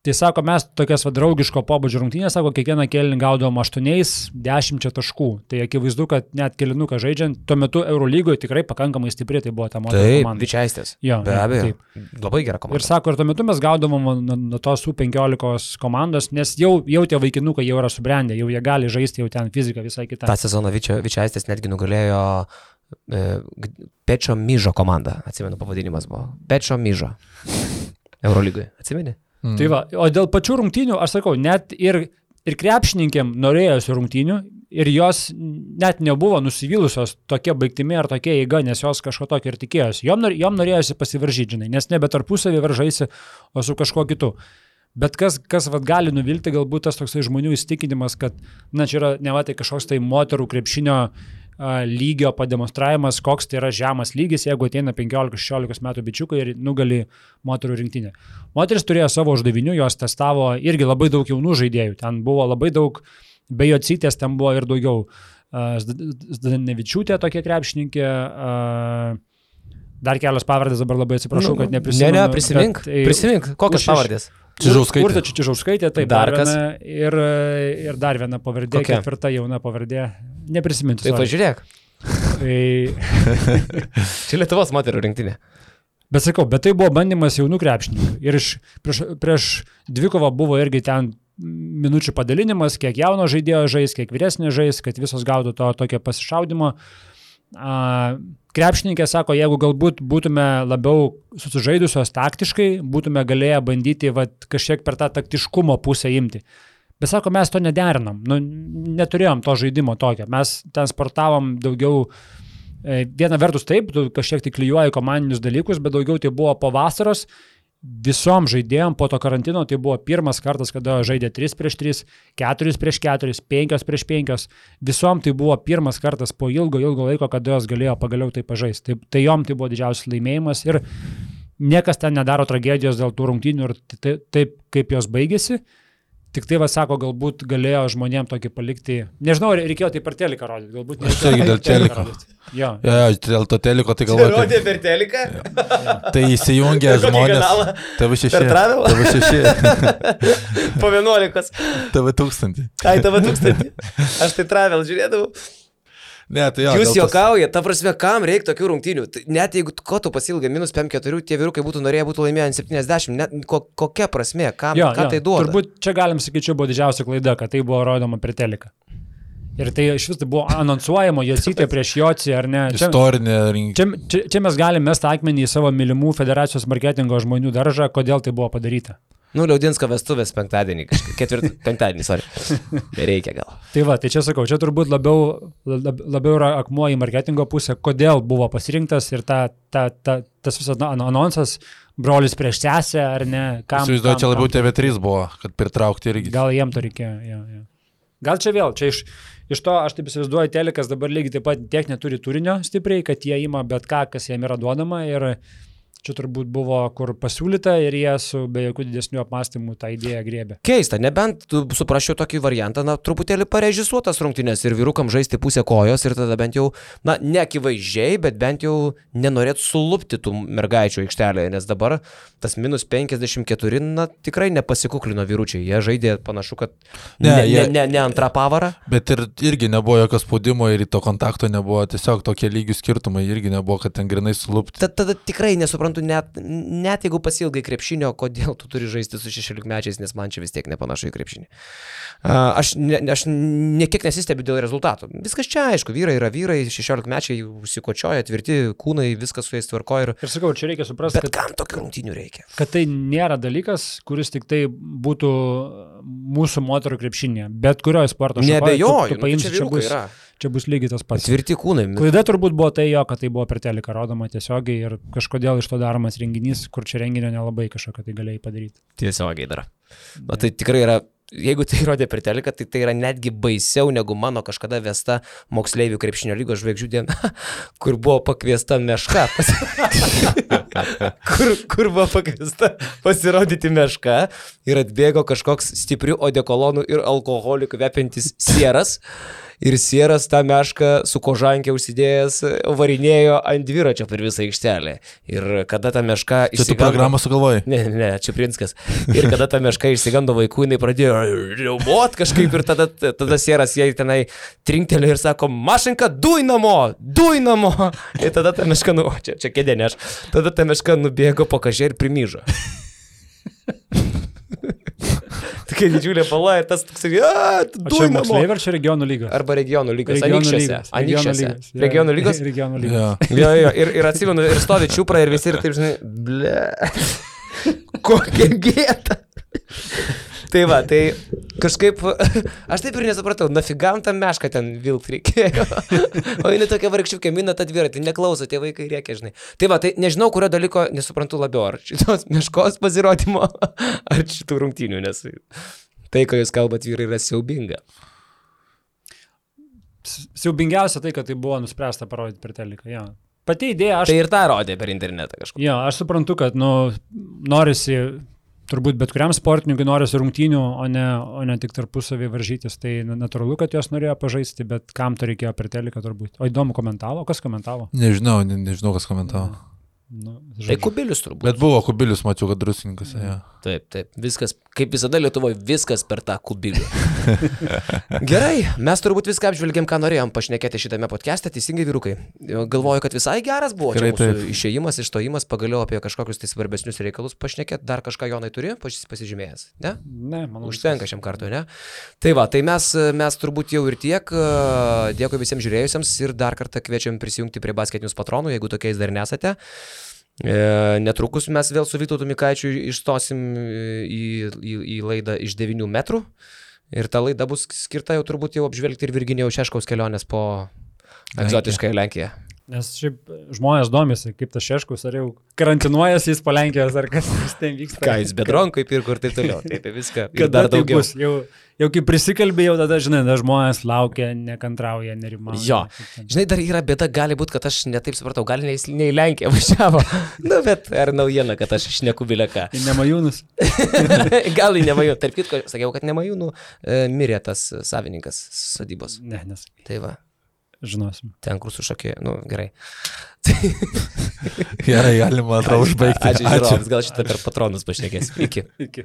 Tai sako, mes tokias draugiško pobūdžio rungtynės, sako, kiekvieną kėlinį gaudavom 8-10 taškų. Tai akivaizdu, kad net kėlinuką žaidžiant, tuo metu Eurolygoje tikrai pakankamai stipri tai buvo ta moterų komanda. Taip, Vičiaistės. Jo, be abejo. Taip. Labai gera komanda. Ir sako, ir tuo metu mes gaudavom nuo tos U15 komandos, nes jau tie vaikinukai jau yra subrendę, jau jie gali žaisti, jau ten fizika visai kita. Ta sezoną Vičiaistės netgi nugalėjo Pečio Myžo komanda, atsimenu, pavadinimas buvo. Pečio Myžo. Eurolygoje, atsimeni? Tai va, o dėl pačių rungtynių, aš sakau, net ir krepšininkėm norėjosi rungtynių ir jos net nebuvo nusivylusios tokia baigtimi ar tokia eiga, nes jos kažko tokio ir tikėjosi. Jom norėjosi pasivaržyti, žinai, nes nebe tarpusavį varžaisi, o su kažkuo kitu. Bet kas vat, gali nuvilti, galbūt tas toksai žmonių įsitikinimas, kad, na, čia yra ne va tai kažkoks tai moterų krepšinio lygio pademonstravimas, koks tai yra žemas lygis, jeigu ateina 15-16 metų bičiukai ir nugali moterų rinktinę. Moteris turėjo savo uždavinių, jos testavo irgi labai daug jaunų žaidėjų, ten buvo labai daug, be Jocytės ten buvo ir daugiau. Zdanevičiūtė tokia krepšininkė, dar kelios pavardės, dabar labai atsiprašau, kad neprisimenu. Prisimink, kokios pavardės? Čižauskaitė, taip, dar kas? Ir dar viena pavardė, ketvirta jauna pavardė, neprisiminti. Tai pažiūrėk. Čia Lietuvos moterų rinktinė. Bet sakau, bet tai buvo bandymas jaunų krepšininkų. Ir prieš dvikovą buvo irgi ten minučių padalinimas, kiek jauno žaidėjo žais, kiek vyresnė žais, kad visos gautų to tokio pasišaudimo. Krepšininkė sako, jeigu galbūt būtume labiau susižaidusios taktiškai, būtume galėję bandyti kažkiek per tą taktiškumo pusę imti. Bet sako, mes to nederinam, neturėjom to žaidimo tokio. Mes ten sportavom daugiau, viena vertus taip, tu kažkiek tai klijuoji komandinius dalykus, bet daugiau tai buvo po vasaros. Visom žaidėjom po to karantino tai buvo pirmas kartas, kada žaidė 3-3, 4-4, 5-5. Visom tai buvo pirmas kartas po ilgo laiko, kada jos galėjo pagaliau tai pažaisti. Tai jom tai buvo didžiausias laimėjimas ir niekas ten nedaro tragedijos dėl tų rungtynių ir taip, kaip jos baigėsi. Tik tai, sako, galbūt galėjo žmonėm tokį palikti. Nežinau, reikėjo tai per teliką rodyti. Galbūt aš irgi dėl teliko. Jo, dėl to teliko tai galvoju. Tai rodė per teliką? Tai įsijungia žmonės. TV6. Per travelą? TV6. Po 11. TV1000. Ai, TV1000. Aš tai travel žiūrėdavau. Ne, tai jo, jūs juokaujate, ta prasme, kam reikia tokių rungtynių? Net jeigu ko tu pasilgai -5-4, tie vyrukai būtų norėję būti laimėję 70, kokia prasme, ką tai duoda? Turbūt čia galim sakyti, čia buvo didžiausia klaida, kad tai buvo rodoma per teliką. Ir tai iš vis tai buvo anonsuojama, Jocytė prieš Jocį, ar ne? Istorinė rinkimė. Čia mes galime mesti akmenį į savo mylimų federacijos marketingo žmonių daržą, kodėl tai buvo padaryta. Liaudinsko vestuvės penktadienį, penktadienį, sorry. Nereikia gal. Tai va, tai čia sakau, čia turbūt labiau yra akmuo į marketingo pusę, kodėl buvo pasirinktas ir tas visas anonsas, brolis prieš sesę, ar ne? Įsivaizduoju, čia labiau TV3 buvo, kad pritraukti irgi. Gal jiem to reikėjo, jo. Gal čia vėl, čia iš to, aš taip įsivaizduoju, telikas dabar lygiai taip pat tiek neturi turinio stipriai, kad jie ima bet ką, kas jiem yra duodama ir čia turbūt buvo kur pasiūlyta ir jie su be jokių didesnių apmąstymų tą idėją griebė. Keista, nebent tu suprasčiau tokį variantą, truputėlį parežisuotas rungtynės ir vyrukam žaisti pusę kojos ir tada bent jau, neakivaizdžiai, bet bent jau nenorėtų sulupti tų mergaičių aikštelėje, nes dabar tas -54, tikrai nepasikuklino vyručiai. Jie žaidė panašu, kad ne antrą pavarą. Bet irgi nebuvo jokio spaudimo ir to kontakto nebuvo, tiesiog tokie lygių skirtumai irgi nebuvo, kad ten grinai sulupti. Tada tikrai nesuprantu, net jeigu pasilgai krepšinio, kodėl tu turi žaisti su 16-mečiais, nes man čia vis tiek nepanašu į krepšinį. Aš niekiek nesistebiu dėl rezultatų. Viskas čia aišku, vyrai yra vyrai, 16-mečiai užsikočioja, tvirti kūnai, viskas su jais tvarko. Ir sakau, čia reikia suprasti, bet kam tokių rungtynių reikia? Kad tai nėra dalykas, kuris tik tai būtų mūsų moterų krepšinėje, bet kurioje sporto šakoje. Nebejoju, čia bus lygiai tas pats. Tvirti kūnai. Klaida turbūt buvo tai jo, kad tai buvo per teliką rodoma tiesiogiai ir kažkodėl iš to daromas renginys, kur čia renginio nelabai kažką tai galėjai padaryti. Tiesiogiai dar. Tai tikrai yra, jeigu tai rodė per teliką, tai yra netgi baisiau negu mano kažkada vesta moksleivių krepšinio lygos žvaigždžių diena, kur buvo pakviesta Meška. kur buvo pakviesta pasirodyti Meška ir atbėgo kažkoks stiprių odekolonų ir alkoholikų kvepiantis sieras. ir Sieras tą mešką su kožankė užsidėjęs varinėjo ant dviračio per visą aikštelę. Ir kada ta meška Čia tu programą sugalvojai? Ne, Čiaprinskas. Ir kada ta meška išsigando vaikų, jinai pradėjo riaumot kažkaip ir tada Sieras jai tenai trinktelė ir sako, mašinka, duj namo! Ir tada ta meška, čia kėdė ne aš, tada ta meška nubėgo po kažkai ir primyžo. Tokia didžiulė pala ir tas toksai, duj namo. Moksleiviai ar čia regionų lygos? Arba regionų lygos, Anykščiuose. Regionų lygos? Regionų lygos. Jo, ir atsimenu, ir stovi čiupra ir visi ir taip, žinai, kokia gėta. Tai va, tai kažkaip, aš taip ir nesupratau, nafigam tą mešką ten vilkt reikėjo. O jinai tokia vargščiukė, mina tą dviratį, neklauso, tie vaikai rėkia, žinai. Tai va, tai nežinau, kurio dalyko nesuprantu labiau, ar šitos meškos pasirodymo, ar šitų rungtynių, nes tai, ką jūs kalbat, vyrai, yra siaubinga. Siaubingiausia tai, kad tai buvo nuspręsta parodyti per teliką, jo. Pati idėja, Tai ir tą rodė per internetą kažkur. Jo, aš suprantu, kad, norisi... Turbūt bet kuriam sportininkui norisi rungtynių, o ne tik tarpusavį varžytis. Tai natūralu, kad jos norėjo pažaisti, bet kam to reikėjo per teliką turbūt. O įdomu komentavo? Kas komentavo? Nežinau, kas komentavo. Tai Kubilius turbūt. Bet buvo Kubilius, mačiau, kad druskininkas. Ja. Taip. Viskas, kaip visada Lietuvoje, viskas per tą Kubilių. Gerai, mes turbūt viską apžvelgėm, ką norėjom pašnekėti šitame podcast'e, teisingai vyrukai. Galvoju, kad visai geras buvo čia mūsų išėjimas, išstojimas, pagaliau apie kažkokius tai svarbesnius reikalus pašnekėti. Dar kažką Jonai turi pasižymėjęs, ne? Ne, manau. Užtenka šiam kartui, ne? Tai va, tai mes turbūt jau ir tiek. Dėkui visiems žiūrėjusiems ir dar kartą kviečiam prisijungti prie Basketinius patronų, jeigu tokiais dar nesate. Netrukus mes vėl su Vytautu Mikaičiu išstosim į laidą iš 9 metrų ir ta laida bus skirta jau turbūt jau apžvelgti ir Virginijaus Šeškaus kelionės po egzotiškąją Lenkiją. Nes šiaip žmonės domisi, kaip tas Šeškus, ar jau karantinuojasi jis po Lenkijos, ar kas ten vyksta. Ką jis bedronkai pirko ir taip toliau, taip viską. Ir dar daugiau. Bus, jau kaip prisikalbė, jau tada, žinai, žmonės laukia, nekantrauja, nerimauja. Jo, žinai, dar yra bėda, gali būti, kad aš netaip supratau, gal ne į Lenkiją važiavo, bet ar naujiena, kad aš šneku bileką. Į Nemajūnus. Gal į Nemajūnų, tarp kitko, sakiau, kad Nemajūnų mirė tas savininkas sodybos. Ne, nes. Tai va. Žinosim. Ten, kur sušokė, gerai. Gerai, galima užbaigti. Ačiū žiūrovams, gal šitą per patronus pašnekės. Iki.